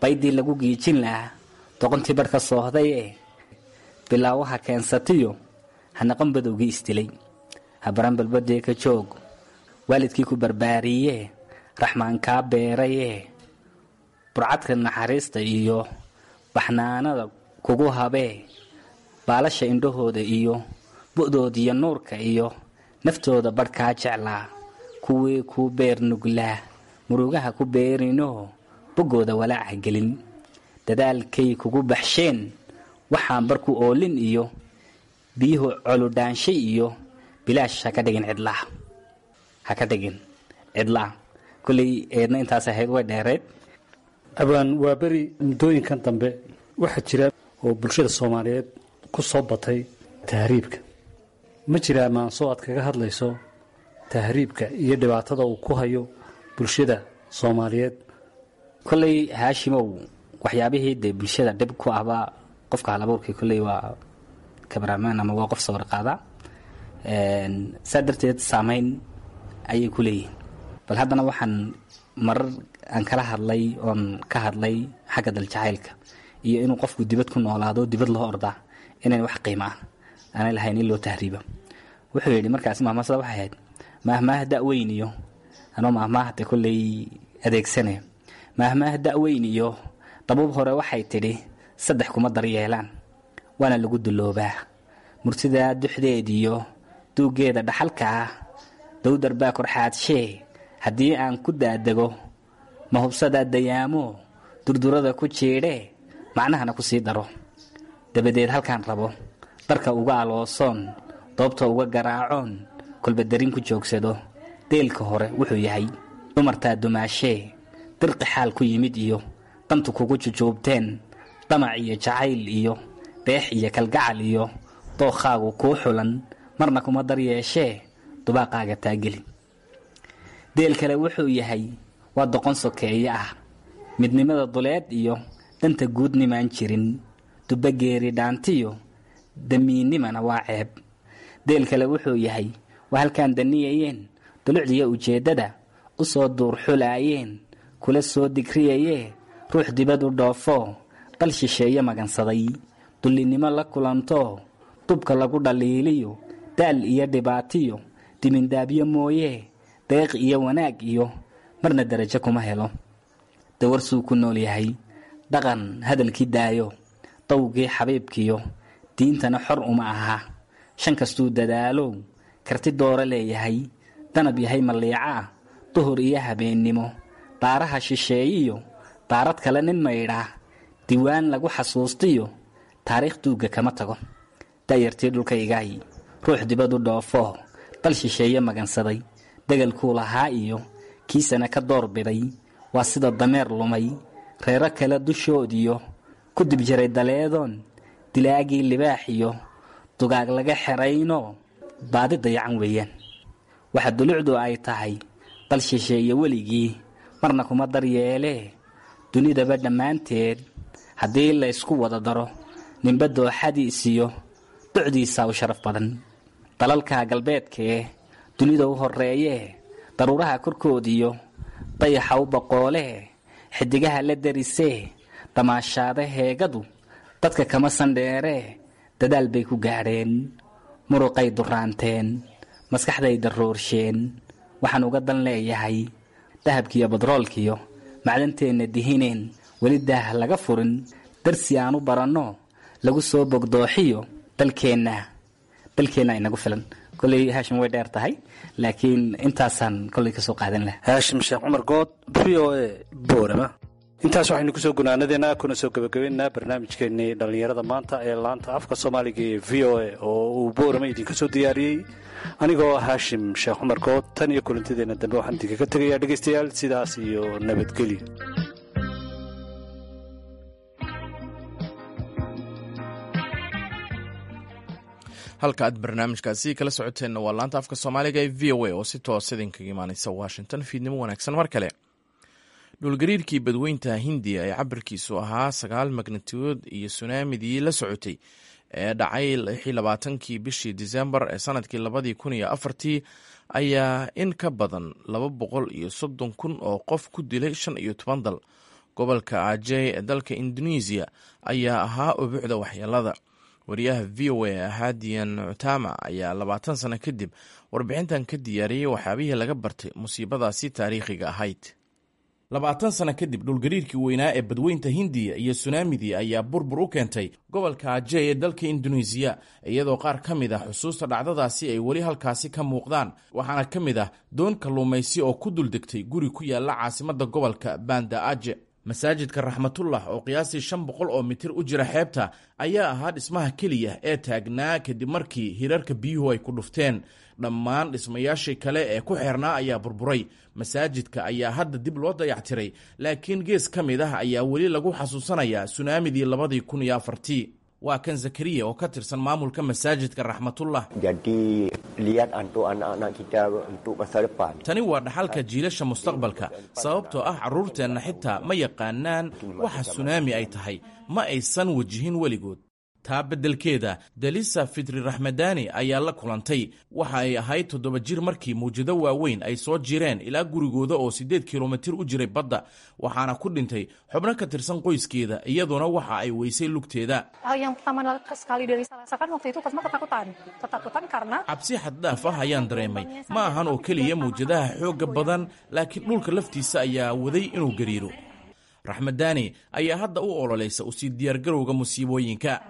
Speaker 3: baydii lagu giijin lahaa doqontii barh ka soohdayee bilaawaha keensatiyo hanaqan badowgii isdilay, habaran balbadee ka joog, waalidkii ku barbaariyee raxmaan kaa beerayee burcadka naxariista iyo baxnaanada kugu habee, baalasha indhahooda iyo Bu'doodiyo nuurka iyo naftooda badhkaa jeclaa, kuwii kuu beer nuglaa murugaha ku beerinoo boggooda walaaca gelin. Dadaalkay kugu baxsheen waxaan barku oolin iyo biyuhu coludhaanshay iyo bilaash ha ka dhigin cidlaa, ha ka dhigin cidlaa. Kolley eedna intaas ahayd, way dheereed.
Speaker 8: Abaan waa beri muddooyinkan dambe waxaa jira oo bulshada soomaaliyeed ku soo batay tahriibka. Ma jiraa maanso aad kaga hadlayso tahriibka iyo dhibaatada uu ku hayo bulshada soomaaliyeed?
Speaker 3: Kolley Haashimow, waxyaabihii dee bulshada dhib ku ahba, qofka halabuurkii kolley waa cameraman ama waa qof sawir qaada, saa darteed saameyn ayay ku leeyihiin. Bal haddana waxaan marar aan kala hadlay oon ka hadlay xagga daljacaylka iyo inuu qofku dibad ku noolaado, dibad loo ordaa inayn wax qiimo ah aanay lahayn in loo tahriiba. Wuxuu yidhi markaasi mahmaasada waxay ahayd maahmaah da'weyn iyo anoo maahmaahde kolley adeegsanaya, maahmaah da'weyn iyo dabuub hore waxay tidhi saddex kuma daryeelaan waana lagu duloobaa: murtidaa duxdeed iyo duuggeeda dhaxalka ah, dowdar baa korxaadshee haddii aan ku daadego, ma hubsadaa dayaamo durdurada ku jiidhee macnahana ku sii daro, dabadeed halkaan rabo darka uga aloosoon, doobta uga garaacoon, kolba darin ku joogsado. Deelka hore wuxuu yahay dumartaa dumaashee dirqi xaal ku yimid iyo dantu kugu jujuubteen, damac iyo jacayl iyo deex iyo kalgacal iyo dookhaagu kuu xulan, marna kuma daryeeshee dubaaqaaga taageli. Deel kale wuxuu yahay waa doqon sokeeye ah, midnimada duleed iyo danta guudnimaan jirin, dubageeri dhaantiyo damiinnimana waa ceeb. Deel kale wuxuu yahay waa halkaan daniyayeen dulucdiyo ujeeddada u soo duurxulaayeen, kula soo digriyayee ruux dibad u dhoofoo dal shisheeye magansaday, dullinnimo la kulantoo dubka lagu dhaliiliyo, daal iyo dhibaatiyo dimindaabyo mooyee deeq iyo wanaag iyo marna darajo kuma helo. Dawarsuu ku nool yahay dhaqan hadalkii daayo, dawgii xabiibkiyo diintana xor uma aha, shan kastuu dadaalow karti dooro leeyahay, danab yahay malliicaa duhur iyo habeennimo, daaraha shisheeyiyo daarad kale nin maydhaa, diiwaan lagu xasuustiyo taariikh duugga kama tago. Da'yartii dhulkaygaay ruux dibad u dhoofoo dal shisheeye magansaday, degalkuu lahaa iyo kiisana ka door biday, waa sida dameer lumay reero kale dushoodiyo ku dib jiray daleedoon dilaagii libaax iyo dugaag laga xeraynoo baadi dayacan weeyaan. Waxa dulucdu ay tahay dal shisheeye weligii marna kuma daryeelee, dunidaba dhammaanteed haddii laysku wada daro ninba dooxadiisiyo ducdiisaa u sharaf badan. Dalalka galbeedkaee dunida u horreeyee daruuraha korkoodiyo dayaxa u boqoolee xidigaha la darisee damaashaada heegadu dadka kama sandheeree, dadaal bay ku gaadheen, muruqay duraanteen, maskaxday daroorsheen. Waxaan uga dan leeyahay dahabkiiyo badroolkiyo macdanteenna dihineen weli daah laga furin, darsi aan u baranno lagu soo bogdooxiyo dalkeenna, dalkeenna inagu filan. Kolley Haashim way dheer tahay, laakiin intaasaan kolley ka soo qaadan laha.
Speaker 8: Haashim Sheekh Cumar Good, V O A, Boorama. Intaas waxaynu kusoo gunaanadeena kuna soo gebagabeynaa barnaamijkeennii dhallinyarada maanta ee laanta afka soomaaliga ee V O A oo uu Boorama idinka soo diyaariyey anigoo Haashim Sheekh Cumar Good. Tan iyo kulantideenna dambe waxaan idinkaga tegayaa dhegaystayaal sidaas iyo nabadgelyo.
Speaker 1: Halka aad barnaamijkaasi kala socoteenna waa laanta afka soomaaliga ee V O A oo si toos idinkaga imaaneysa Washington. Fiidnimo wanaagsan mar kale. Dhulgariirkii badweynta Hindiya ee cabirkiisu ahaa sagaal magnitude iyo sunaamidii la socotay ee dhacay lix iyo labaatankii bishii Disembar ee sanadkii labadii kun iyo afartii ayaa in ka badan laba boqol iyo soddon kun oo qof ku dilay shan iyo toban dal. Gobolka Ajey ee dalka Indonesiya ayaa ahaa ubuucda waxyeelada. Wariyaha V O A Hadiyan Cutama ayaa labaatan sano kadib warbixintan ka diyaariyey waxyaabihii laga bartay musiibadaasi taariikhiga ahayd. Labaatan sano kadib dhulgariirkii weynaa ee badweynta Hindiya iyo sunaamidii ayaa burbur u keentay gobolka Ajey ee dalka Induneisiya, iyadoo qaar ka mid ah xusuusta dhacdadaasi ay weli halkaasi ka muuqdaan. Waxaana ka mid ah doon kalluumaysi oo ku duldegtay guri ku yaala caasimadda gobolka Banda Aje. Masaajidka Raxmatullah oo qiyaastii shan boqol oo mitir u jira xeebta ayaa ahaa dhismaha keliya ee taagnaa kadib markii hirarka biyuhu ay ku dhufteen. Dhammaan dhismayaashii kale ee ku xeernaa ayaa burburay. Masaajidka ayaa hadda dib loo dayactiray, laakiin gees ka mid ah ayaa weli lagu xasuusanayaa sunaamidii labadii kun iyo afartii. Waa kan Zakariya oo ka tirsan maamulka masaajidka Raxmatullah. Tani waa dhaxalka jiilasha mustaqbalka, sababtoo ah carruurteenna xitaa ma yaqaanaan waxa sunaami ay tahay, ma aysan wajihin weligood. Taa beddelkeeda, Dalisa Fitri Raxmadani ayaa la kulantay. Waxa ay ahayd toddoba jir markii mawjado waaweyn ay soo jireen ilaa gurigooda oo siddeed kilomitir u jiray badda, waxaana ku dhintay xubno ka tirsan qoyskeeda, iyaduna waxa ay weysay lugteeda. Cabsi xaddhaaf ah ayaan dareemay. Ma ahan oo keliya mawjadaha xoogga badan, laakiin dhulka laftiisa ayaa waday inuu gariiro. Raxmadani ayaa hadda u ololaysa usii diyaargarowga musiibooyinka.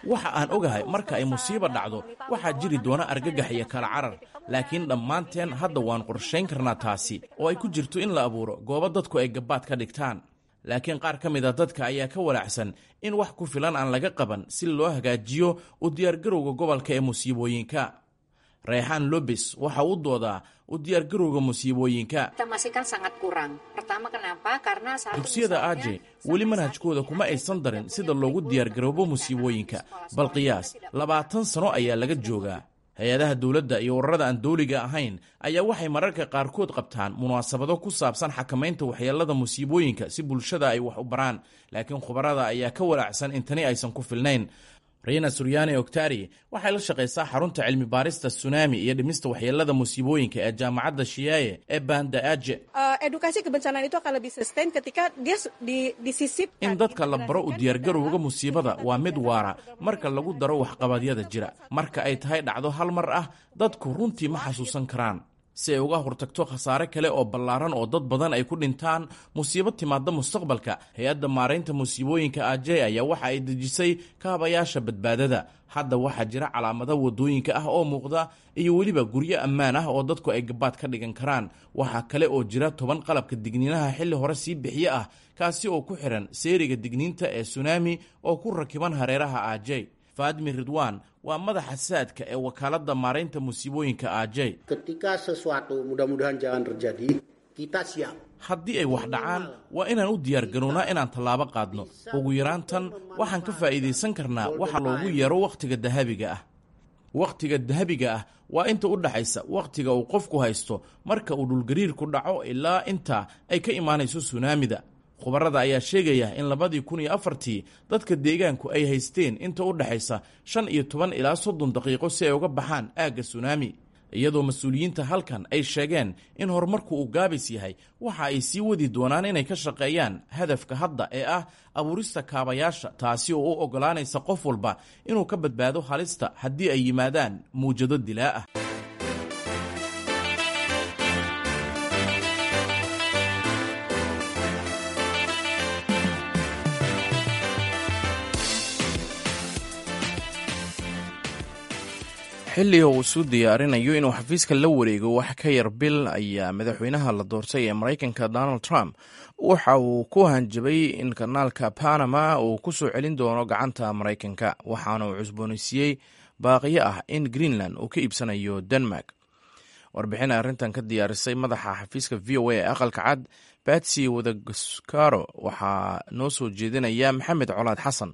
Speaker 1: Waxa aan ogahay marka ay musiiba dhacdo waxaa jiri doona argagax iyo kala carar, laakiin dhammaanteen hadda waan qorshayn karnaa taasi oo ay ku jirto in la abuuro goobo dadku ay gabbaad ka dhigtaan. Laakiin qaar ka mid a dadka ayaa ka walaacsan in wax ku filan aan laga qaban si loo hagaajiyo u diyaargarowga gobolka ee musiibooyinka. Reexaan Lobes waxa uu doodaa u diyaargarowga musiibooyinka. Dugsiyada Aje weli manhajkooda kuma aysan darin sida loogu diyaargaroobo musiibooyinka. Bal qiyaas, labaatan sano ayaa laga joogaa. Hay-adaha dowladda iyo ururada aan dowliga ahayn ayaa waxay mararka qaarkood qabtaan munaasabado ku saabsan xakamaynta waxyeelada musiibooyinka si bulshada ay wax u baraan, laakiin khubarada ayaa ka walaacsan in tani aysan ku filnayn. Riina Suryaane Oktari waxay la shaqaysaa xarunta cilmi baarista sunaami iyo dhimista waxyeelada musiibooyinka ee jaamacadda Shiyaaye ee Banda Aje. In dadka la baro u diyaargarowga musiibada waa mid waara marka lagu daro waxqabadyada jira. Marka ay tahay dhacdo hal mar ah, dadku runtii ma xasuusan karaan. Si ay uga hortagto khasaare kale oo ballaaran oo dad badan ay ku dhintaan musiibo timaadda mustaqbalka, hay-adda maaraynta musiibooyinka Ajey ayaa waxa ay dejisay kaabayaasha badbaadada. Hadda waxaa jira calaamado waddooyinka ah oo muuqda iyo weliba guryo ammaan ah oo dadku ay gabaad ka dhigan karaan. Waxaa kale oo jira toban qalabka digniinaha xilli hore sii bixiye ah, kaasi oo ku xiran seeriga digniinta ee sunaami oo ku rakiban hareeraha Ajey. Faadmi Ridwan waa madaxa saadka ee wakaaladda maaraynta musiibooyinka Ajey. Haddii ay wax dhacaan, waa inaan u diyaargarownaa inaan tallaabo qaadno. Ugu yaraan tan waxaan ka faa'iidaysan karnaa waxa loogu yeero wakhtiga dahabiga ah. Wakhtiga dahabiga ah waa inta u dhaxaysa wakhtiga uu qofku haysto marka uu dhulgariirku dhaco ilaa inta ay ka imaanayso sunaamida. Khubarada ayaa sheegaya in labadii kun iyo afartii dadka deegaanku ay haysteen inta u dhaxaysa shan iyo toban ilaa soddon daqiiqo si ay uga baxaan aagga sunaami, iyadoo mas-uuliyiinta halkan ay sheegeen in horumarku uu gaabis yahay. Waxa ay sii wadi doonaan inay ka shaqeeyaan hadafka hadda ee ah abuurista kaabayaasha, taasi oo u oggolaanaysa qof walba inuu ka badbaado halista haddii ay yimaadaan muwjado dilaa ah. Xilli uu isu diyaarinayo inuu xafiiska la wareego wax ka yar bil ayaa madaxweynaha la doortay ee Maraykanka Donald Trump waxa uu ku hanjabay in kanaalka Panama uu ku soo celin doono gacanta Maraykanka, waxaana uu cusboonaysiiyey baaqiyo ah in Greenland uu ka iibsanayo Denmark. Warbixin arrintan ka diyaarisay madaxa xafiiska V O A ee aqalka cad Batsy Wadaskaro waxaa noo soo jeedinaya Maxamed Colaad Xasan.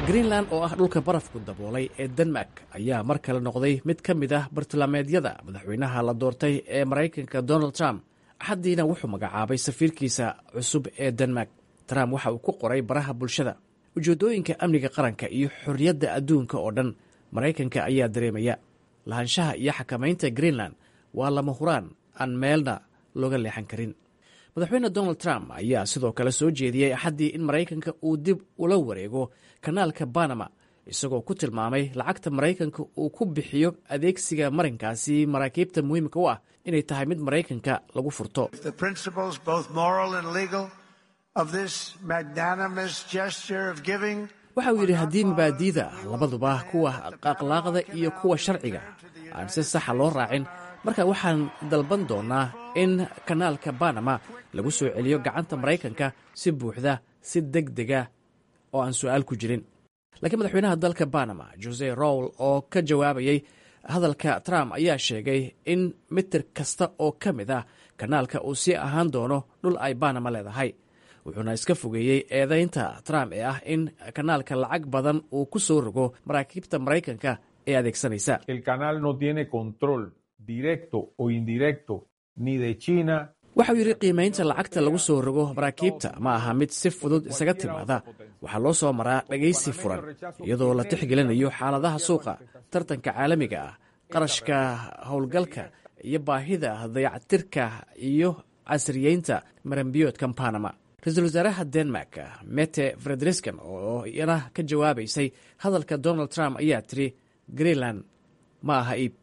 Speaker 4: Greenland oo ah dhulka barafku daboolay ee Denmark ayaa mar kale noqday mid ka mid ah bartilmaameedyada madaxweynaha la doortay ee Maraykanka Donald Trump. Axaddiina wuxuu magacaabay safiirkiisa cusub ee Denmark. Trump waxa uu ku qoray baraha bulshada: ujeeddooyinka amniga qaranka iyo xorriyadda adduunka oo dhan, Maraykanka ayaa dareemaya lahaanshaha iyo xakamaynta Greenland waa lama huraan aan meelna looga leexan karin. Madaxweyne Donald Trump ayaa sidoo kale soo jeediyey Axaddii in Maraykanka uu dib ula wareego kanaalka Banama isagoo ku tilmaamay lacagta Maraykanka uu ku bixiyo adeegsiga marinkaasi maraakiibta muhiimka u ah inay tahay mid Maraykanka lagu furto. Waxa uu yidhi, haddii mabaadiida labaduba, kuwa akhlaaqda iyo kuwa sharciga, aan si saxa loo raacin, marka waxaan dalban doonaa in kanaalka Banama lagu soo celiyo gacanta Maraykanka si buuxda, si deg dega oo aan su-aal ku jirin. Laakiin madaxweynaha dalka Banama, Jose Raul, oo ka jawaabayay hadalka Trump ayaa sheegay in mitir kasta oo ka mid ah kanaalka uu sii ahaan doono dhul ay Banama leedahay, wuxuuna iska fogeeyey eedaynta Trump ee ah in kanaalka lacag badan uu ku soo rogo maraakiibta Maraykanka ee adeegsanaysa. Waxauu yidhi, qiimaynta lacagta lagu soo rogo maraakiibta ma aha mid si fudud isaga timaada. Waxaa loo soo maraa dhegaysi furan, iyadoo la tixgelinayo xaaladaha suuqa, tartanka caalamiga ah, qarashka howlgalka iyo baahida dayactirka iyo casriyeynta maranbiyoodka Panama. Ra-iisul wasaaraha Denmark, Mette Frederiksen, oo iyana ka jawaabaysay hadalka Donald Trump ayaa tiri, Greenland ma aha iib.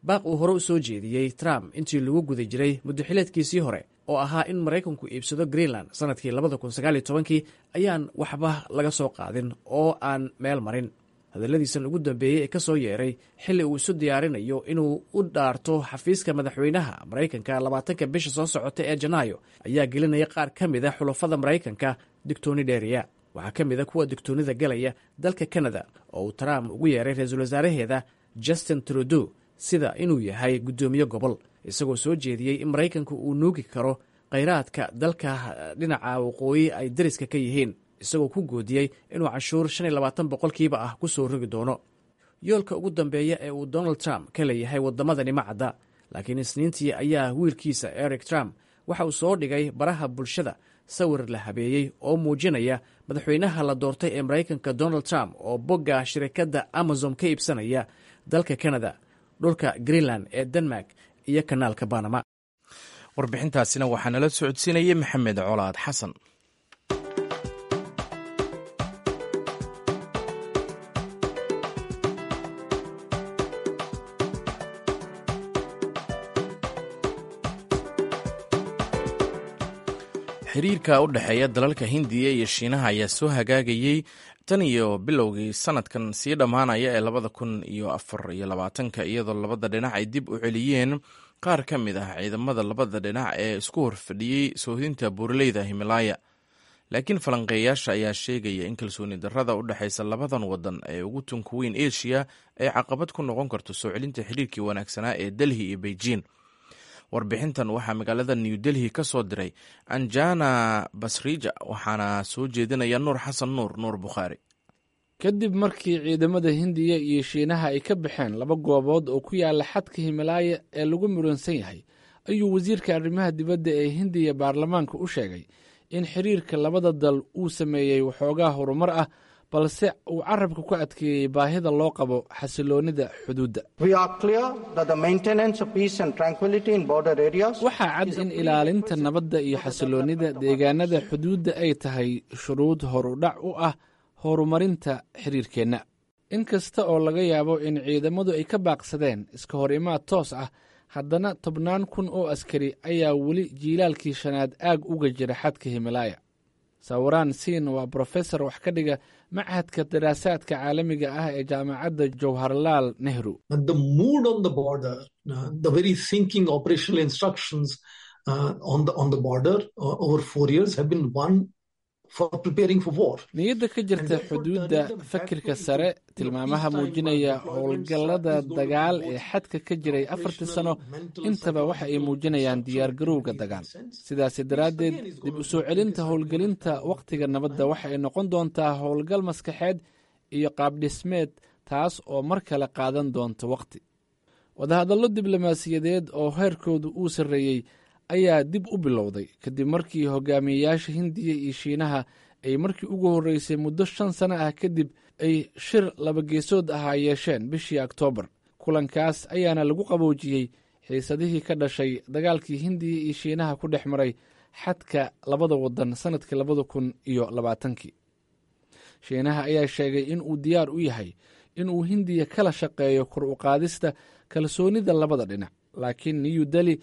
Speaker 4: Baaq uu hore u soo jeediyey Trump intii lagu guda jiray muddoxileedkiisii hore oo ahaa in Maraykanku iibsado Greenland sanadkii labada kun sagaal iyo tobankii ayaan waxba laga soo qaadin oo aan meel marin. Hadalladiisan ugu dambeeyey ee ka soo yeeray xilli uu isu diyaarinayo inuu u dhaarto xafiiska madaxweynaha Maraykanka labaatanka bisha soo socota ee Janaayo ayaa gelinaya qaar ka mid a xulafada Maraykanka digtooni dheeriya. Waxaa ka mid a kuwa digtoonida galaya dalka Canada, oo uu Trump ugu yeeray ra-iisul wasaaraheeda Justin Trudeau sida inuu yahay guddoomiye gobol, isagoo soo jeediyey in Maraykanku uu nuugi karo khayraadka dalka dhinaca waqooyi ay dariska ka yihiin, isagoo ku goodiyey inuu canshuur shan iyo labaatan boqolkiiba ah ku soo rogi doono. Yoolka ugu dambeeya ee uu Donald Trump ka leeyahay waddamadani ma cadda, laakiin Isniintii ayaa wiilkiisa Eric Trump waxa uu soo dhigay baraha bulshada sawir la habeeyey oo muujinaya madaxweynaha la doortay ee Maraykanka Donald Trump oo bogga shirikadda Amazon ka iibsanaya dalka Canada, dhulka Greenland ee Denmark iyo kanaalka Banama.
Speaker 1: Warbixintaasina waxaa nala socodsiinayay Maxamed Colaad Xasan. Xiriirka u dhexeeya dalalka Hindiya iyo Shiinaha ayaa soo hagaagayey tan iyo bilowgii sanadkan sii dhammaanaya ee labada kun iyo afar iyo labaatanka, iyadoo labada dhinac ay dib u celiyeen qaar ka mid ah ciidamada labada dhinac ee isku horfadhiyey soohdinta buuraleyda Himalaya. Laakiin falanqeeyaasha ayaa sheegaya in kalsooni darrada u dhexaysa labadan wadan ee ugu tunka weyn Asia ay caqabad ku noqon karto soo celinta xiriirkii wanaagsanaa ee Delhi iyo Beijing. Warbixintan waxaa magaalada New Delhi ka soo diray Anjana Basrija, waxaana soo jeedinaya Nuur Xasan Nuur, Nuur Bukhaari.
Speaker 9: Kadib markii ciidamada Hindiya iyo Shiinaha ay ka baxeen laba goobood oo ku yaala xadka Himalaaya ee lagu muransan yahay, ayuu wasiirka arrimaha dibadda ee Hindiya baarlamaanka u sheegay in xiriirka labada dal uu sameeyey waxoogaa horumar ah, balse uu carabka ku adkeeyey baahida loo qabo xasiloonnida xuduudda. Waxaa cad in ilaalinta nabadda iyo xasiloonnida deegaanada xuduudda ay tahay shuruud horudhac u ah horumarinta xiriirkeenna. In kasta oo laga yaabo in ciidamadu ay ka baaqsadeen iska hor imaad toos ah, haddana tobnaan kun oo askari ayaa weli jiilaalkii shanaad aag uga jira xadka Himalaaya. Sawiraan Siin waa brofesor wax ka dhiga machadka daraasaadka caalamiga ah ee jaamacadda Jawharlaal Nehru. Niyadda ka jirta xuduudda, fakirka sare, tilmaamaha muujinaya howlgallada dagaal ee xadka ka jiray afartii sano intaba waxa ay muujinayaan diyaargarowga dagaal. Sidaasi daraaddeed, dib u soo celinta howlgelinta wakhtiga nabadda waxa ay noqon doontaa howlgal maskaxeed iyo qaabdhismeed, taas oo mar kale qaadan doonta wakhti. Wadahadallo diblomaasiyadeed oo heerkoodu uu sarreeyey ayaa dib u bilowday kadib markii hogaamiyeyaasha Hindiya iyo Shiinaha ay markii ugu horreysay muddo shan sano ah kadib ay shir labageesood ahaa yeesheen bishii Oktoobar. Kulankaas ayaana lagu qaboojiyey xiisadihii ka dhashay dagaalkii Hindiya iyo Shiinaha ku dhex maray xadka labada waddan sannadkii labada kun iyo labaatankii. Shiinaha ayaa sheegay in uu diyaar u yahay in uu Hindiya kala shaqeeyo kor u qaadista kalsoonida labada dhinac, laakiin New Deli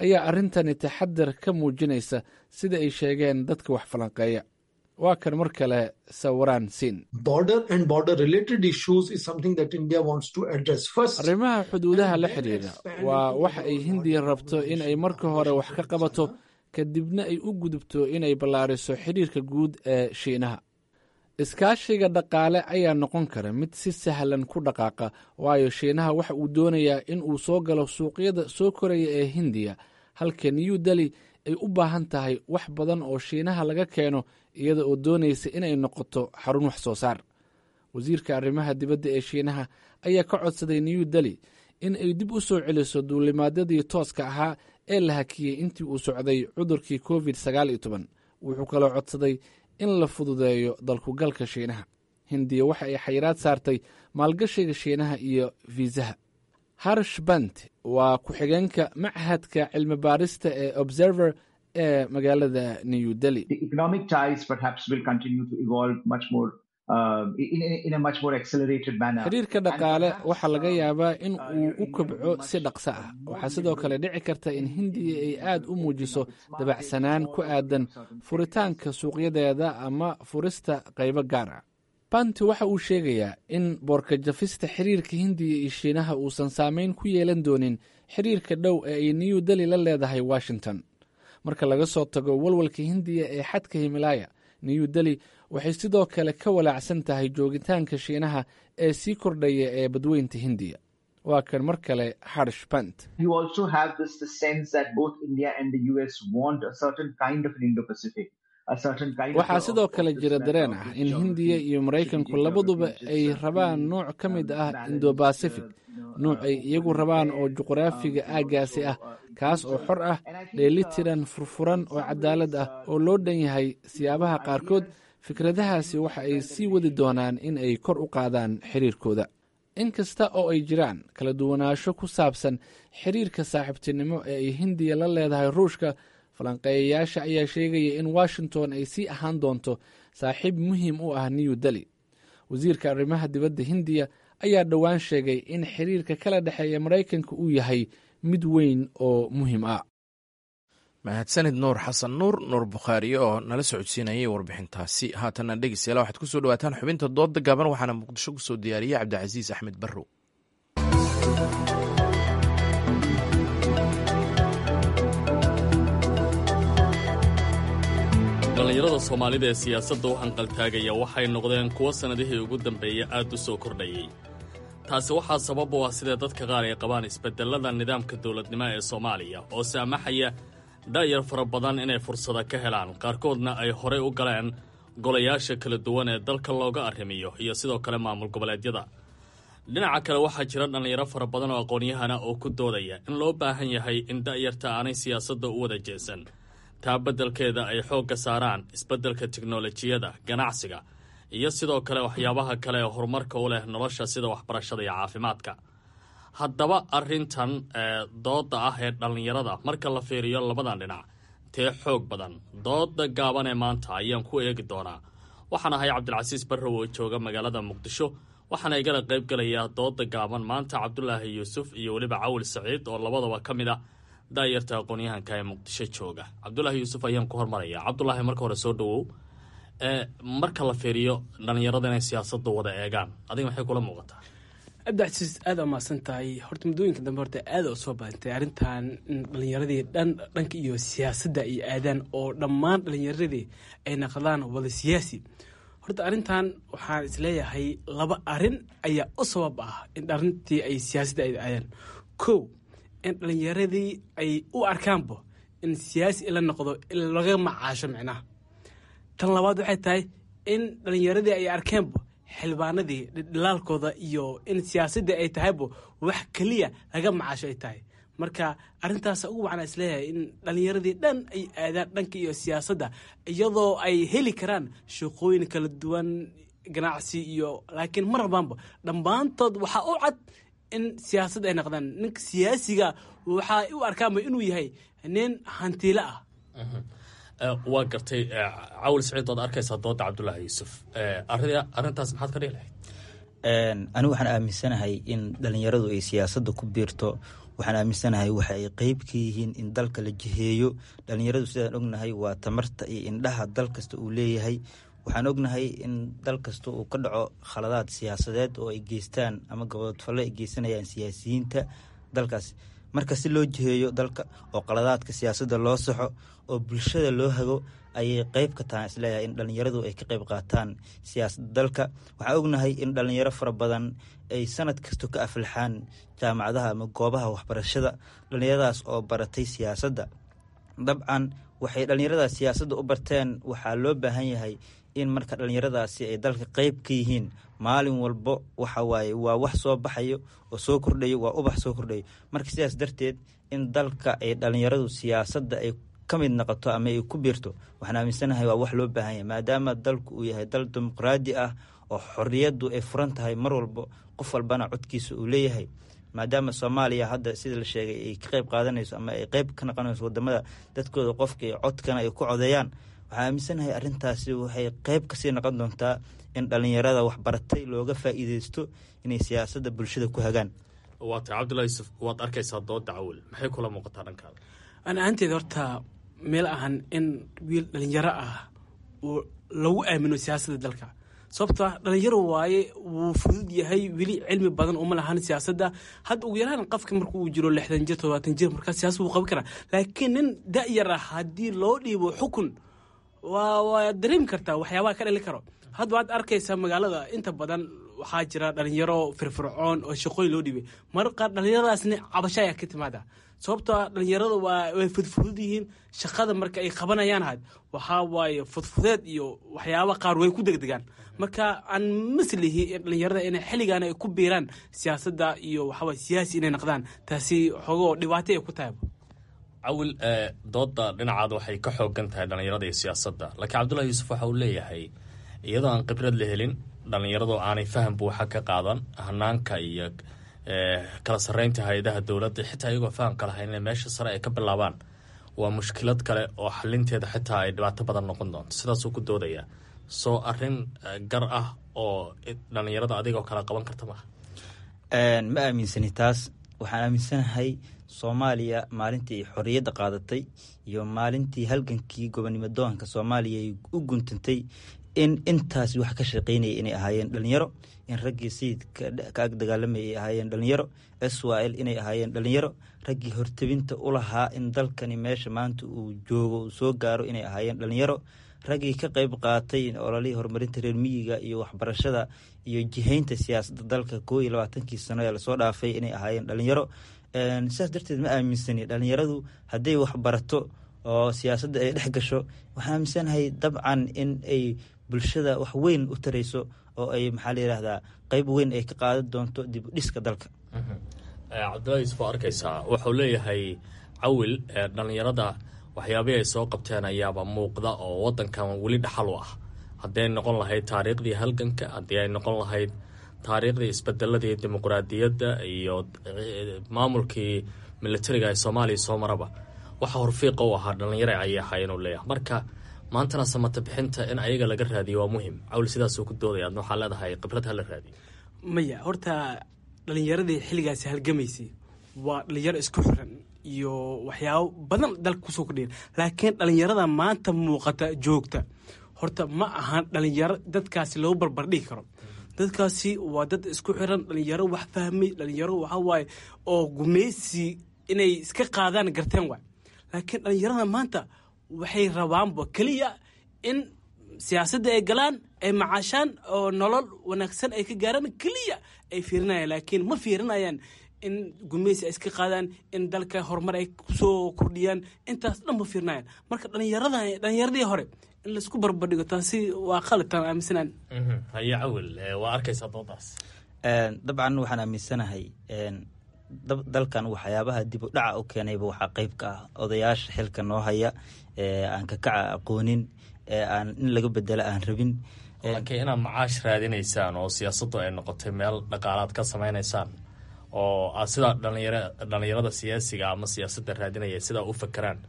Speaker 9: ayaa arrintani taxadar ka muujinaysa, sida ay sheegeen dadka wax falanqeeya. Waa kan mar kale Sawiraan Siin. Arrimaha xuduudaha la xidhiidha waa waxa ay Hindiya rabto in ay marka hore wax ka qabato, kadibna ay u gudubto inay ballaariso xidhiirka guud ee Shiinaha. Iskaashiga dhaqaale ayaa noqon kara mid si sahlan ku dhaqaaqa, waayo Shiinaha waxa uu doonayaa in uu soo galo suuqyada soo koraya ee Hindiya, halka New Deli ay u baahan tahay wax badan oo Shiinaha laga keeno, iyada oo doonaysa inay noqoto xarun wax soo saar. Wasiirka arrimaha dibadda ee Shiinaha ayaa ka codsaday New Deli in ay dib u soo celiso duulimaadyadii tooska ahaa ee la hakiyey intii uu socday cudurkii covid sagaal iyo toban. Wuxuu kaloo codsaday in la fududeeyo dalkugalka Shiinaha. Hindiya waxa ay xayiraad saartay maalgashiga Shiinaha iyo fiisaha. Harsh Bant waa ku-xigeenka machadka cilmi baarista ee Observer ee magaalada New Delhi. Xiriirka dhaqaale waxaa laga yaabaa in uu u kobco si dhaqso ah. Waxaa sidoo kale dhici karta in Hindiya ay aad u muujiso dabacsanaan ku aadan furitaanka suuqyadeeda ama furista qaybo gaar ah. Banti waxa uu sheegayaa in boorkajafista xiriirka Hindiya iyo Shiinaha uusan saameyn ku yeelan doonin xiriirka dhow ee ay New Deli la leedahay Washington. Marka laga soo tago walwalka Hindiya ee xadka Himalaaya, New Deli waxay sidoo kale ka walaacsan tahay joogitaanka Shiinaha ee sii kordhaya ee badweynta Hindiya. Waa kan mar kale Harsh Bant. Waxaa sidoo kale jira dareen ah in Hindiya iyo Maraykanku labaduba ay rabaan nuuc ka mid ah Indo-Bacific, nuuc ay iyagu rabaan oo juqraafiga aaggaasi ah, kaas oo xor ah, dheelitiran, furfuran oo cadaalad ah oo loo dhan yahay. Siyaabaha qaarkood fikradahaasi waxa ay sii wadi doonaan in ay kor u qaadaan xiriirkooda. Inkasta oo ay jiraan kala duwanaansho ku saabsan xiriirka saaxiibtinimo ee ay Hindiya la leedahay Ruushka, falanqeeyayaasha ayaa sheegaya in Washington ay sii ahaan doonto saaxiib muhiim u ah New Deli. Wasiirka arrimaha dibadda Hindiya ayaa dhowaan sheegay in xiriirka kala dhexeeya Maraykanka uu yahay mid weyn oo muhiim ah.
Speaker 1: Mahadsanid Nuur Xasan Nuur, Nuur Bukhaari, oo nala socodsiinayay warbixintaasi. Haatanna dhegeystayaal, waxaad kusoo dhawaataan xubinta dooda gaaban, waxaana Muqdisho kusoo diyaariyey Cabdicasiis Axmed Barrow.
Speaker 7: Dhallinyarada Soomaalida ee siyaasadda u hanqaltaagaya waxay noqdeen kuwo sannadihii ugu dambeeyey aad u soo kordhayey. Taasi waxaa sabab u ah sida dadka qaar ay qabaan isbeddellada nidaamka dowladnimo ee Soomaaliya oo saamaxaya da'yar fara badan inay fursada ka helaan, qaarkoodna ay horey u galeen golayaasha kala duwan ee dalka looga arrimiyo iyo sidoo kale maamul goboleedyada. Dhinaca kale, waxaa jira dhallinyaro fara badan oo aqoon-yahana oo ku doodaya in loo baahan yahay in da'yarta aanay siyaasadda u wada jeesan, taa beddelkeeda ay xoogga saaraan isbeddelka tiknolojiyada, ganacsiga iyo sidoo kale waxyaabaha kale ee horumarka u leh nolosha sida waxbarashada iyo caafimaadka. Haddaba arrintan dooda ah ee dhallinyarada marka la fiiriyo labadan dhinac, tee xoog badan? Dooda gaaban ee maanta ayaan ku eegi doonaa. Waxaan ahay Cabdilcasiis Barrow oo jooga magaalada Muqdisho, waxaana igala qayb gelayaa dooda gaaban maanta Cabdulaahi Yuusuf iyo weliba Cawil Saciid oo labadaba ka mid ah daayarta aqoon-yahanka ee Muqdisho jooga. Cabdulaahi Yuusuf ayaan ku hormaraya. Cabdulaahi, marka hore soo dhawow. Marka la fiiriyo dhallinyarada inay siyaasadda wada eegaan, adiga maxay kula muuqataa?
Speaker 10: Cabdicasiis, aada umahadsan tahay. Horta muddooyinka dambe horta aada u soo badantay arrintan in dhallinyaradii dhan dhanka iyo siyaasadda ay aadaan oo dhammaan dhallinyaradii ay naqdaan wada siyaasi. Horta arrintan waxaan isleeyahay laba arrin ayaa u sabab ah in arrintii ay siyaasadda ay aadaan. Kow, in dhallinyaradii ay u arkaanba in siyaasi la noqdo in laga macaasho micnaha. Tan labaad waxay tahay in dhallinyaradii ay arkeenba xildhibaanadii dhilaalkooda iyo in siyaasaddii ay tahayba wax keliya laga macaasho ay tahay. Marka arrintaas ugu wacnaa isleeyahay in dhallinyaradii dhan ay aadaan dhanka iyo siyaasadda, iyadoo ay heli karaan shaqooyin kala duwan, ganacsi iyo, laakiin mar rabaanba dhammaantood waxaa u cad in siyaasadda ay noqdaan. Ninka siyaasiga waxaa u arkaanba inuu yahay nin hantiile ah.
Speaker 7: Waa gartay. Cawil Siciid, waad arkaysaa dooda Cabdulaahi Yuusuf, arrintaas maxaad ka dhihi lahayd?
Speaker 11: Anigu waxaan aaminsanahay in dhalinyaradu ay siyaasadda ku biirto. Waxaan aaminsanahay waxa ay qeyb ka yihiin in dalka la jiheeyo. Dhalinyaradu sidaan ognahay waa tamarta iyo indhaha dal kasta uu leeyahay. Waxaan ognahay in dal kasta uu ka dhaco khaladaad siyaasadeed oo ay geystaan ama gabodfalle ay geysanayaan siyaasiyiinta dalkaas. Marka si loo jiheeyo dalka oo qaladaadka siyaasadda loo saxo oo bulshada loo hago ayay qeyb ka tahay, isleeyahay in dhalinyaradu ay ka qeyb qaataan siyaasadda dalka. Waxaan ognahay in dhalinyaro fara badan ay sanad kasta ka aflaxaan jaamacadaha ama goobaha waxbarashada, dhalinyaradaas oo baratay siyaasadda. Dabcan waxay dhalinyaradaas siyaasadda u barteen, waxaa loo baahan yahay in marka dhalinyaradaasi ay dalka qeyb ka yihiin maalin walbo. Waxa waaye waa wax soo baxayo oo soo kordhayo, waa ubax soo kordhayo. Marka sidaas darteed in dalka ay dhalinyaradu siyaasadda ay ka mid noqoto ama ay ku biirto, waxaan aaminsanahay waa wax loo baahan yahay, maadaama dalku uu yahay dal dimuqraadi ah oo xorriyaddu ay furan tahay mar walbo, qof walbana codkiisa uu leeyahay. Maadaama Soomaaliya hadda sida la sheegay ay ka qeyb qaadanayso ama ay qeyb ka noqonayso wadamada dadkooda qofka iyo codkana ay ku codeeyaan, waxaan aaminsanahay arrintaasi waxay qeyb kasii noqon doontaa in dhalinyarada waxbaratay looga faa'iideysto inay siyaasadda bulshada ku hagaan.
Speaker 7: Waa tahay. Cabdullahi Yuusuf, waad arkaysaa dooda Cawil, maxay kula muuqataa dhankaada?
Speaker 10: Ana ahaanteeda horta meel ahan in wiil dhalinyaro ah uu lagu aamino siyaasadda dalka, sababto ah dhalinyaro waaye, wuu fudud yahay, weli cilmi badan uma lahan siyaasadda. Hadda ugu yaraan qofka marka uu jiro lixdan jir, todobaatan jir, markaa siyaasad wuu qaban karaa. Laakiin nin da-yar ah haddii loo dhiibo xukun, waa waa dareemi kartaa waxyaabaha ka dhali karo. Hadda waad arkaysaa magaalada inta badan waxaa jira dhalinyaro firfircoon oo shaqooyin loo dhiibay. Marar qaar dhalinyaradaasna cabasho ayaa ka timaada, sababtoo ah dhalinyarada waa way fudfudud yihiin. Shaqada marka ay qabanayaan had waxaa waaye fudfudeed iyo waxyaaba qaar way ku degdegaan. Marka aan maslihi in dhalinyarada inay xilligan ay ku biiraan siyaasadda iyo waxawaaye siyaasi inay noqdaan, taasi xogoo dhibaato ay ku tahay.
Speaker 7: Cawil, dooda dhinacaada waxay ka xoogan tahay dhalinyarada iyo siyaasadda, laakiin Cabdullahi Yuusuf waxa uu leeyahay iyadoo aan khibrad la helin, dhalinyaradu aanay faham buuxa ka qaadan hanaanka iyo kala sarreynta hay-adaha dowladda, xitaa iyagoo fahamka lahayn inay meesha sare ay ka bilaabaan waa mushkilad kale oo xalinteeda xitaa ay dhibaato badan noqon doonto. Sidaasuu ku doodayaa. Soo arrin gar ah oo dhalinyarada adigoo kala qaban karta maaha?
Speaker 11: Ma aaminsani taas. Waxaan aaminsanahay Soomaaliya maalintii ay xorriyadda qaadatay iyo maalintii halgankii gobonimo doonka Soomaaliya ay u guntantay in intaas wax ka shaqeynaya inay ahaayeen dhalinyaro, in raggii sayidka ka ag dagaalamayay ay ahaayeen dhalinyaro, S Y L inay ahaayeen dhalinyaro, raggii hortebinta u lahaa in dalkani meesha maanta uu joogo uu soo gaaro inay ahaayeen dhalinyaro, raggii ka qeyb qaatay ololihii horumarinta reer miyiga iyo waxbarashada iyo jihaynta siyaasadda dalka koo iyo labaatankii sano ee lasoo dhaafay inay ahaayeen dhalinyaro. Sidaas darteed ma aaminsani dhalinyaradu hadday waxbarato oo siyaasadda ay dhex gasho, waxaan aaminsanahay dabcan in ay bulshada wax weyn u tarayso oo ay maxaa la yidhaahdaa qeyb weyn ay ka qaadan doonto dib u dhiska dalka.
Speaker 7: Cabdullahi Yuusuf, waa arkaysaa wuxuu leeyahay Cawil dhalinyarada waxyaabihii ay soo qabteen ayaaba muuqda oo wadankan weli dhaxal u ah, haddii ay noqon lahayd taariikhdii halganka, haddii ay noqon lahayd taariikhdii isbedeladii dimuqraadiyadda iyo maamulkii militariga ee Soomaaliya soo maraba, waxa horfiiqa u ahaa dhalinyaro ayay ahaayeen uu leeyahay. Marka maantana samata bixinta in ayaga laga raadiyo waa muhim. Cawl sidaasuu ku doodaya, adna waxaa leedahay khibrad ha la raadiyo.
Speaker 10: Maya, horta dhalinyaradii xilligaasi halgamaysay waa dhalinyaro isku xiran iyo waxyaabo badan dalka kusoo kordhiyan. Laakiin dhalinyarada maanta muuqata joogta horta ma ahan dhalinyaro dadkaasi loo barbardhigi karo. Dadkaasi waa dad isku xiran, dhalinyaro wax fahmay, dhalinyaro waxaa waaye oo gumeysi inay iska qaadaan garteen waay. Laakiin dhalinyarada maanta waxay rabaanba keliya in siyaasadda ay galaan, ay macaashaan oo nolol wanaagsan ay ka gaaraan keliya ay fiirinayaan. Laakiin ma fiirinayaan in gumeysi ay iska qaadaan, in dalka horumar ay kusoo kordhiyaan, intaas dhan ma fiirinayaan. Marka dhalinyarada dhalinyaradii hore in laisku barbardhigo taasi waa qalad, taan aaminsanaan.
Speaker 7: Haye Cawil, waa arkaysaa doodaas.
Speaker 11: Dabcan waxaan aaminsanahay dalkan waxyaabaha dib u dhaca u keenayba waxaa qeyb ka ah odayaasha xilka noo haya ee aan kakaca aqoonin ee aan in laga bedelo aan rabin.
Speaker 7: Laakiin inaad macaash raadinaysaan oo siyaasaddu ay noqotay meel dhaqaalaad ka samaynaysaan oo aad sidaa dhalinyar dhalinyarada siyaasiga ama siyaasadda raadinaya sidaa u fakeraan,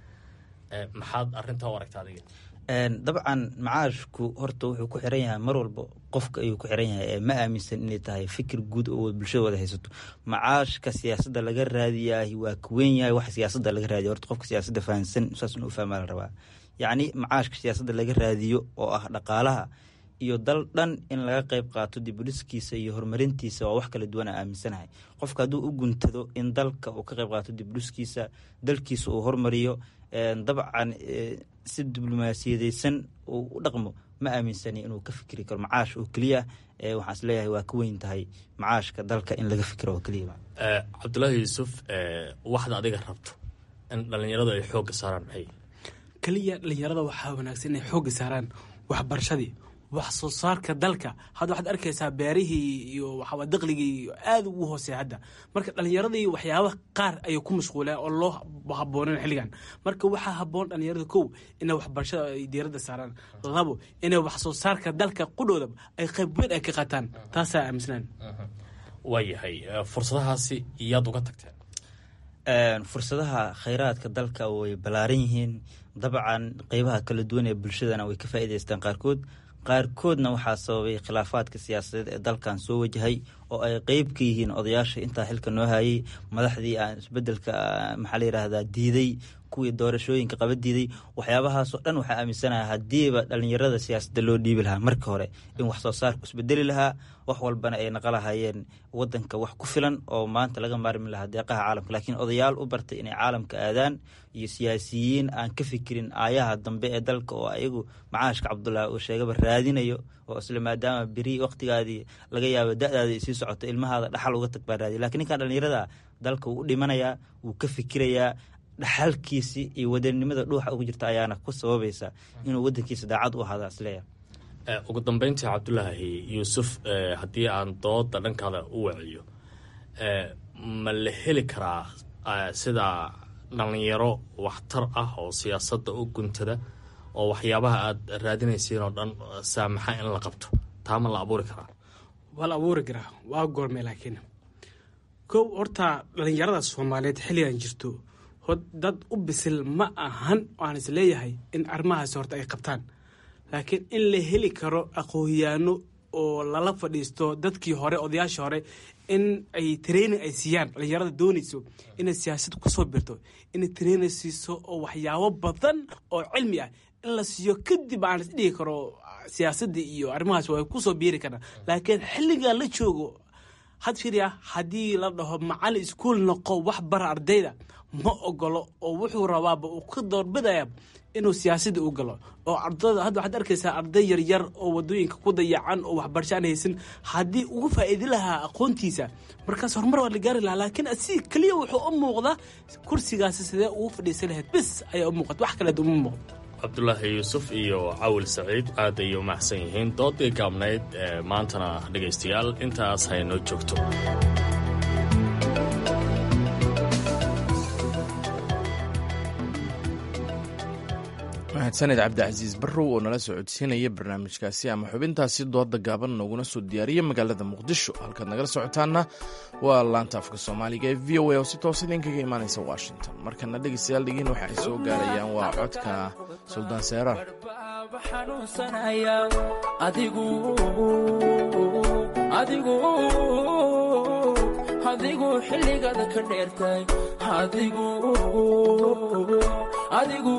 Speaker 7: Maxaad arrintaa u aragta adiga?
Speaker 11: Dabcan macaashku horta wuxuu ku xiran yahay mar walba qofka ayuu ku xiran yahay. Ma aaminsan inay tahay fikir guud oo bulshada wada haysato. Macaashka siyaasadda laga raadiyaah waa ka weyn yahay waxa siyaasadda laga raadiya. Horta qofka siyaasadda fahansan saas inuu fahmaa la rabaa. Yacni macaashka siyaasadda laga raadiyo oo ah dhaqaalaha iyo dal dhan in laga qayb qaato dibudhiskiisa iyo horumarintiisa waa wax kala duwan aan aaminsanahay. Qofka hadduu u guntado in dalka uu ka qayb qaato dibudhiskiisa, dalkiisa uu horumariyo, dabcan si diblomaasiyadeysan uu u dhaqmo, ma aaminsani inuu ka fikri karo macaash oo keliya. Waxaan is leeyahay waa ka weyn tahay macaashka dalka in laga fikiro oo keliya.
Speaker 7: Cabdulaahi Yuusuf, waxda adiga rabto in dhallinyaradu ay xoogga saaraan maxay?
Speaker 10: Keliya dhallinyarada waxaa wanaagsan inay xoogga saaraan waxbarashadii, wax soo saarka dalka. Hadda waxaad arkaysaa beerihii iyo waxaa daqligii aada ugu hooseeya hadda. Marka dhallinyaradii waxyaaba qaar ayay ku mashquuleen oo loo habboonen xilligan. Marka waxaa habboon dhallinyarada kow inay waxbarashada ay diiradda saaraan, labo inay wax soo saarka dalka qudhooda ay qayb weyn ay ka qaataan. Taasaa aaminsanaan.
Speaker 7: Waayahay, fursadahaasi iyaad uga tagteen?
Speaker 11: Fursadaha khayraadka dalka way ballaaran yihiin. Dabcan qeybaha kala duwan ee bulshadana way ka faa'iidaystaan qaarkood. Qaarkoodna waxaa sababay khilaafaadka siyaasadeed ee dalkan soo wajahay oo ay qeyb ka yihiin odayaasha intaa xilka noo hayay, madaxdii aan isbedelka maxaa la yidhaahdaa diiday, kuwii doorashooyinka qaba diiday. Waxyaabahaasoo dhan waxaa aaminsanaha haddiiba dhallinyarada siyaasadda loo dhiibi lahaa marka hore in wax soo saarku isbedeli lahaa, wax walbana ay naqa lahayeen wadanka wax ku filan oo maanta laga maarmi lahaa deeqaha caalamka. Laakiin odayaal u bartay inay caalamka aadaan iyo siyaasiyiin aan ka fikirin aayaha dambe ee dalka oo ayagu macaashka Cabdulaahi uu sheegaba raadinayo, oo isla maadaama beri waqtigaadii laga yaabo da-daadii sii socoto ilmahaada dhaxal uga tag baa raadiya. Lakiin ninkan dhallinyarada dalka wuu u dhimanayaa, wuu ka fikirayaa, dhaxalkiisi iyo wadannimada dhuuxa ugu jirta ayaana ku sababaysa inuu wadankiisa daacad u ahaada isleeyahay.
Speaker 7: Ugu dambeyntii Cabdulaahi Yuusuf, haddii aan dooda dhankaada u waciyo, ma la heli karaa sida dhallinyaro waxtar ah oo siyaasadda u guntada oo waxyaabaha aada raadinaysiin oo dhan saamaxa in la qabto? Taa ma la abuuri karaa?
Speaker 10: Waa la abuuri karaa, waa goormee? Laakiin kow horta dhallinyarada Soomaaliyeed xilligan jirto dad u bisil ma ahan oo aan is leeyahay in arrimahaasi horta ay qabtaan. Laakiin in la heli karo aqoonyaano oo lala fadhiisto dadkii hore, odayaashii hore, in ay training ay siiyaan dhallinyarada doonayso inay siyaasad kusoo birto, inay training siiso oo waxyaabo badan oo cilmi ah in la siiyo, kadib aan is dhigi karo siyaasadda iyo arrimahaas way kusoo biiri karaan. Laakiin xilligan la joogo had fiiriya, haddii la dhaho macallin iskuul noqo wax bara ardayda, ma ogolo oo wuxuu rabaaba uu ka doorbidaya inuu siyaasadda u galo. Oo ardada hadda waxaad arkaysaa arday yaryar oo wadooyinka ku dayacan oo waxbarasho aan haysan. Haddii ugu faa'iidi lahaa aqoontiisa markaas horumar waa la gaari lahaa. Laakiin asiga keliya wuxuu u muuqdaa kursigaasi sidee ugu fadhiisan lahayd bis ayaa u muuqata, wax kaleed uma muuqdo.
Speaker 7: Cabdulaahi Yuusuf iyo Cawil Saciid aad ayay u mahadsan yihiin. Doodii gaabnayd maantana dhegaystayaal intaas haynoo joogto.
Speaker 1: Mahadsaned Cabdicasiis Barrow oo nala soo codsiinaya barnaamijkaasi ama xubintaasi dooda gaaban nooguna soo diyaariya magaalada Muqdisho. Halkaad nagala socotaanna waa laanta afka Soomaaliga ee V O A oo si toos idinkaga imaanaysa Washington. Markana dhegeystayaal dhigiin waxa ay soo gaarayaan waa codka Suldaan Seeraar.
Speaker 12: Adigu xilligaada ka dheertay, adigu adigu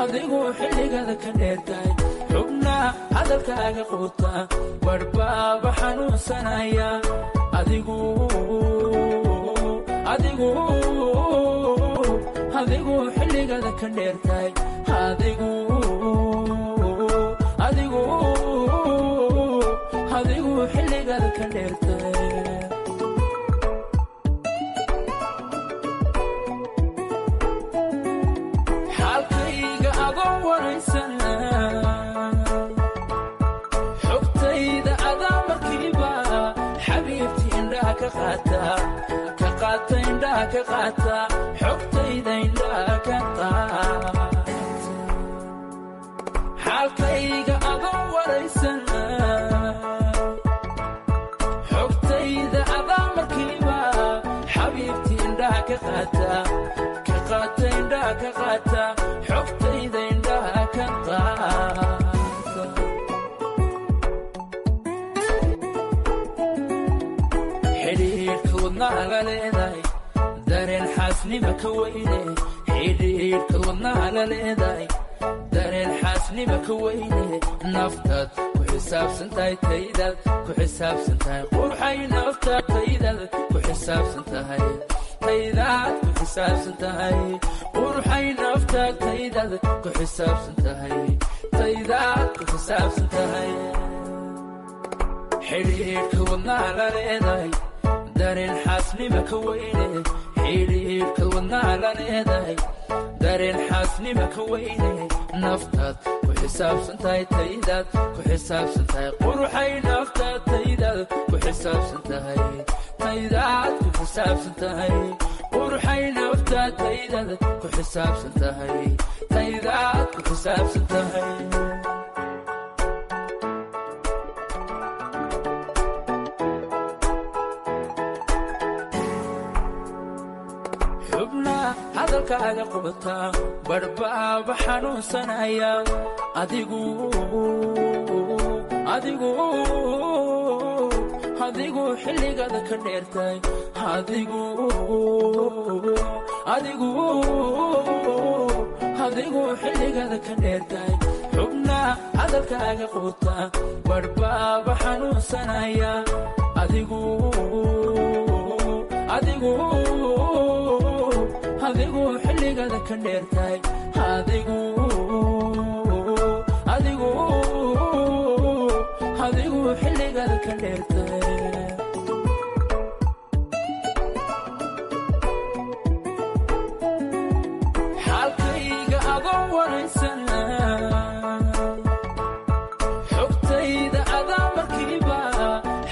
Speaker 12: adigu xilligaada ka dheertay, xubna hadalkaaga quuta warbaaba xanuunsanaya. Adigu adigu adigu xilligaada ka dheertay, adigu adigu adigu xilligaada ka dheertay. Xaalkayga adoo waraysana, xogtayda adaa markiiba xabiibti indhaha ka qaata, ka qaata indhaha ka qaata, xogtayda indhaha ka qaata. Xaalkayga adoo waraysana, xogtayda adaa markiiba xabiibti indhaha ka qaata, ka qaata indhaha wadnaha la leedahay dareen xaasnima ka weyne xidhiidhka wadnaha la leedahay dareen xaasnima ka weyne naftaad ku xisaabsan tahay taydaad ku xisaabsan tahay qurxay naftaad taydaad ku xisaabsan tahay taydaad ku xisaabsan tahay qurxay naftaad taydaad ku xisaabsan tahay taydaad ku xisaabsan tahay xidhiidhka wadnaha la leedahay dareen xaasnima ka weyne xidhiidhka wadnaha la leedahay dareen xaasnima ka weyne naftaad ku xisaabsan tahay taydaad ku xisaabsan tahay qurxay naftaad taydaad ku xisaabsan tahay taydaad ku xisaabsan tahay qurxay naftaad taydaad ku xisaabsan tahay taydaad ku xisaabsan tahay xubna hadalkaaga qubataa badhbaaba xanuunsanaya adigu adigu adigu xilligaada ka dheertay adigu adigu adigu xilligaada ka dheertay xubna hadalkaaga qubataa badhbaaba xanuunsanaya adigu adigu adigu xilligaada ka dheertay adigu adigu adigu xilligaada ka dheertay xaalkayga adoo waraysana xogtayda adaa markiiba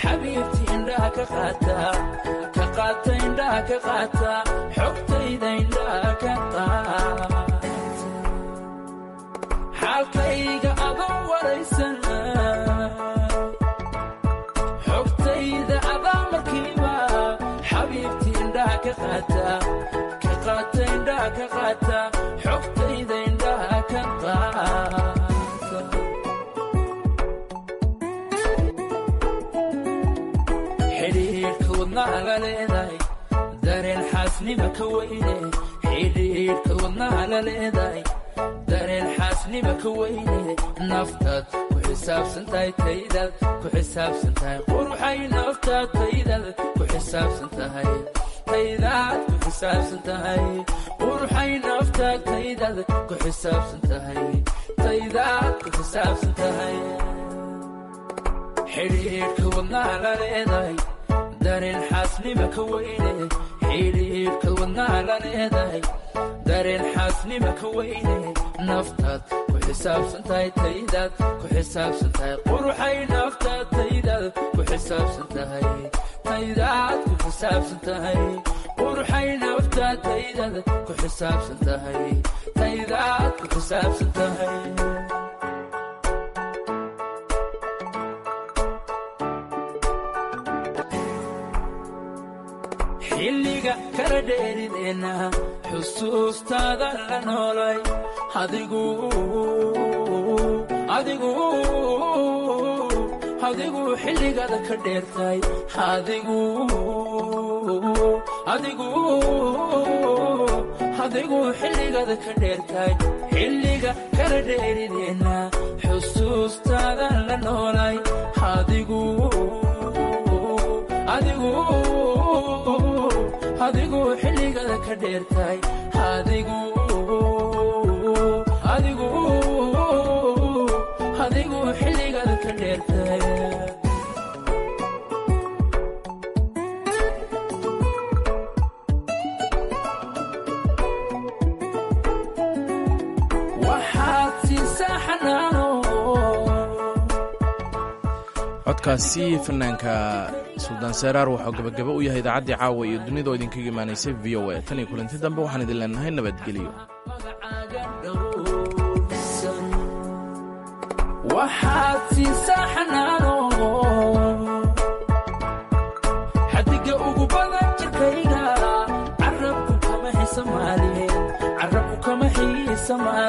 Speaker 12: xabiibti indhaha ka qaata ka qaata indhaha ka qaata xogtayda indhaha ka qaata xaalkayga adoo waraysana xogtayda adaa markiiba xabiibti indhaha ka qaata ka qaata indhaha ka qaata xogtayda indhaha ka qaata xidhiidhka wadnaha la leedahay dareen xaasnima ka weyne xidhiidhka wadnaha la leedahay dareen xaasnima ka weyne naftaad ku xisaabsan tahay taydaad ku xisaabsan tahay qurxay naftaad taydaad ku xisaabsan tahay taydaad ku xisaabsan tahay qurxay naftaad taydaad ku xisaabsan tahay taydaad ku xisaabsan tahay xidhiidhka wadnaha la leedahay dareen xaasnima ka weyne xidhiidhka wadnaha la leedahay dareen xaasnima ka weyne naftaad ku xisaabsan tahay taydaad ku xisaabsan tahay qurxay naftaad taydaad ku xisaabsan tahay taydaad ku xisaabsan tahay qurxay naftaad taydaad ku xisaabsan tahay taydaad ku xisaabsan tahay xilliga kala dheerideenna xusuustaada la noolay adigu adigu adigu xilligaada ka dheertay adigu adigu adigu xilligaada ka dheertay xilliga kala dheerideenna xusuustaada la noolay adigu adigu adigu xilligaada ka dheertay adigu adigu adigu xilligaada ka dheertay waxaad siisaa xanaano
Speaker 1: codkaasi fanaanka suldaan seeraar waxuu gabagaba u yahay idaacaddii caawa iyo dunida oo idinkaga imaanaysay v o a tan iyo kulanti dambe waxaan idin leenahay nabadgelyo
Speaker 12: waxaad siisaa xanaano xadiga ugu badan jirkayga carabku kama xiisa maalin carabku kama xiisa maalin.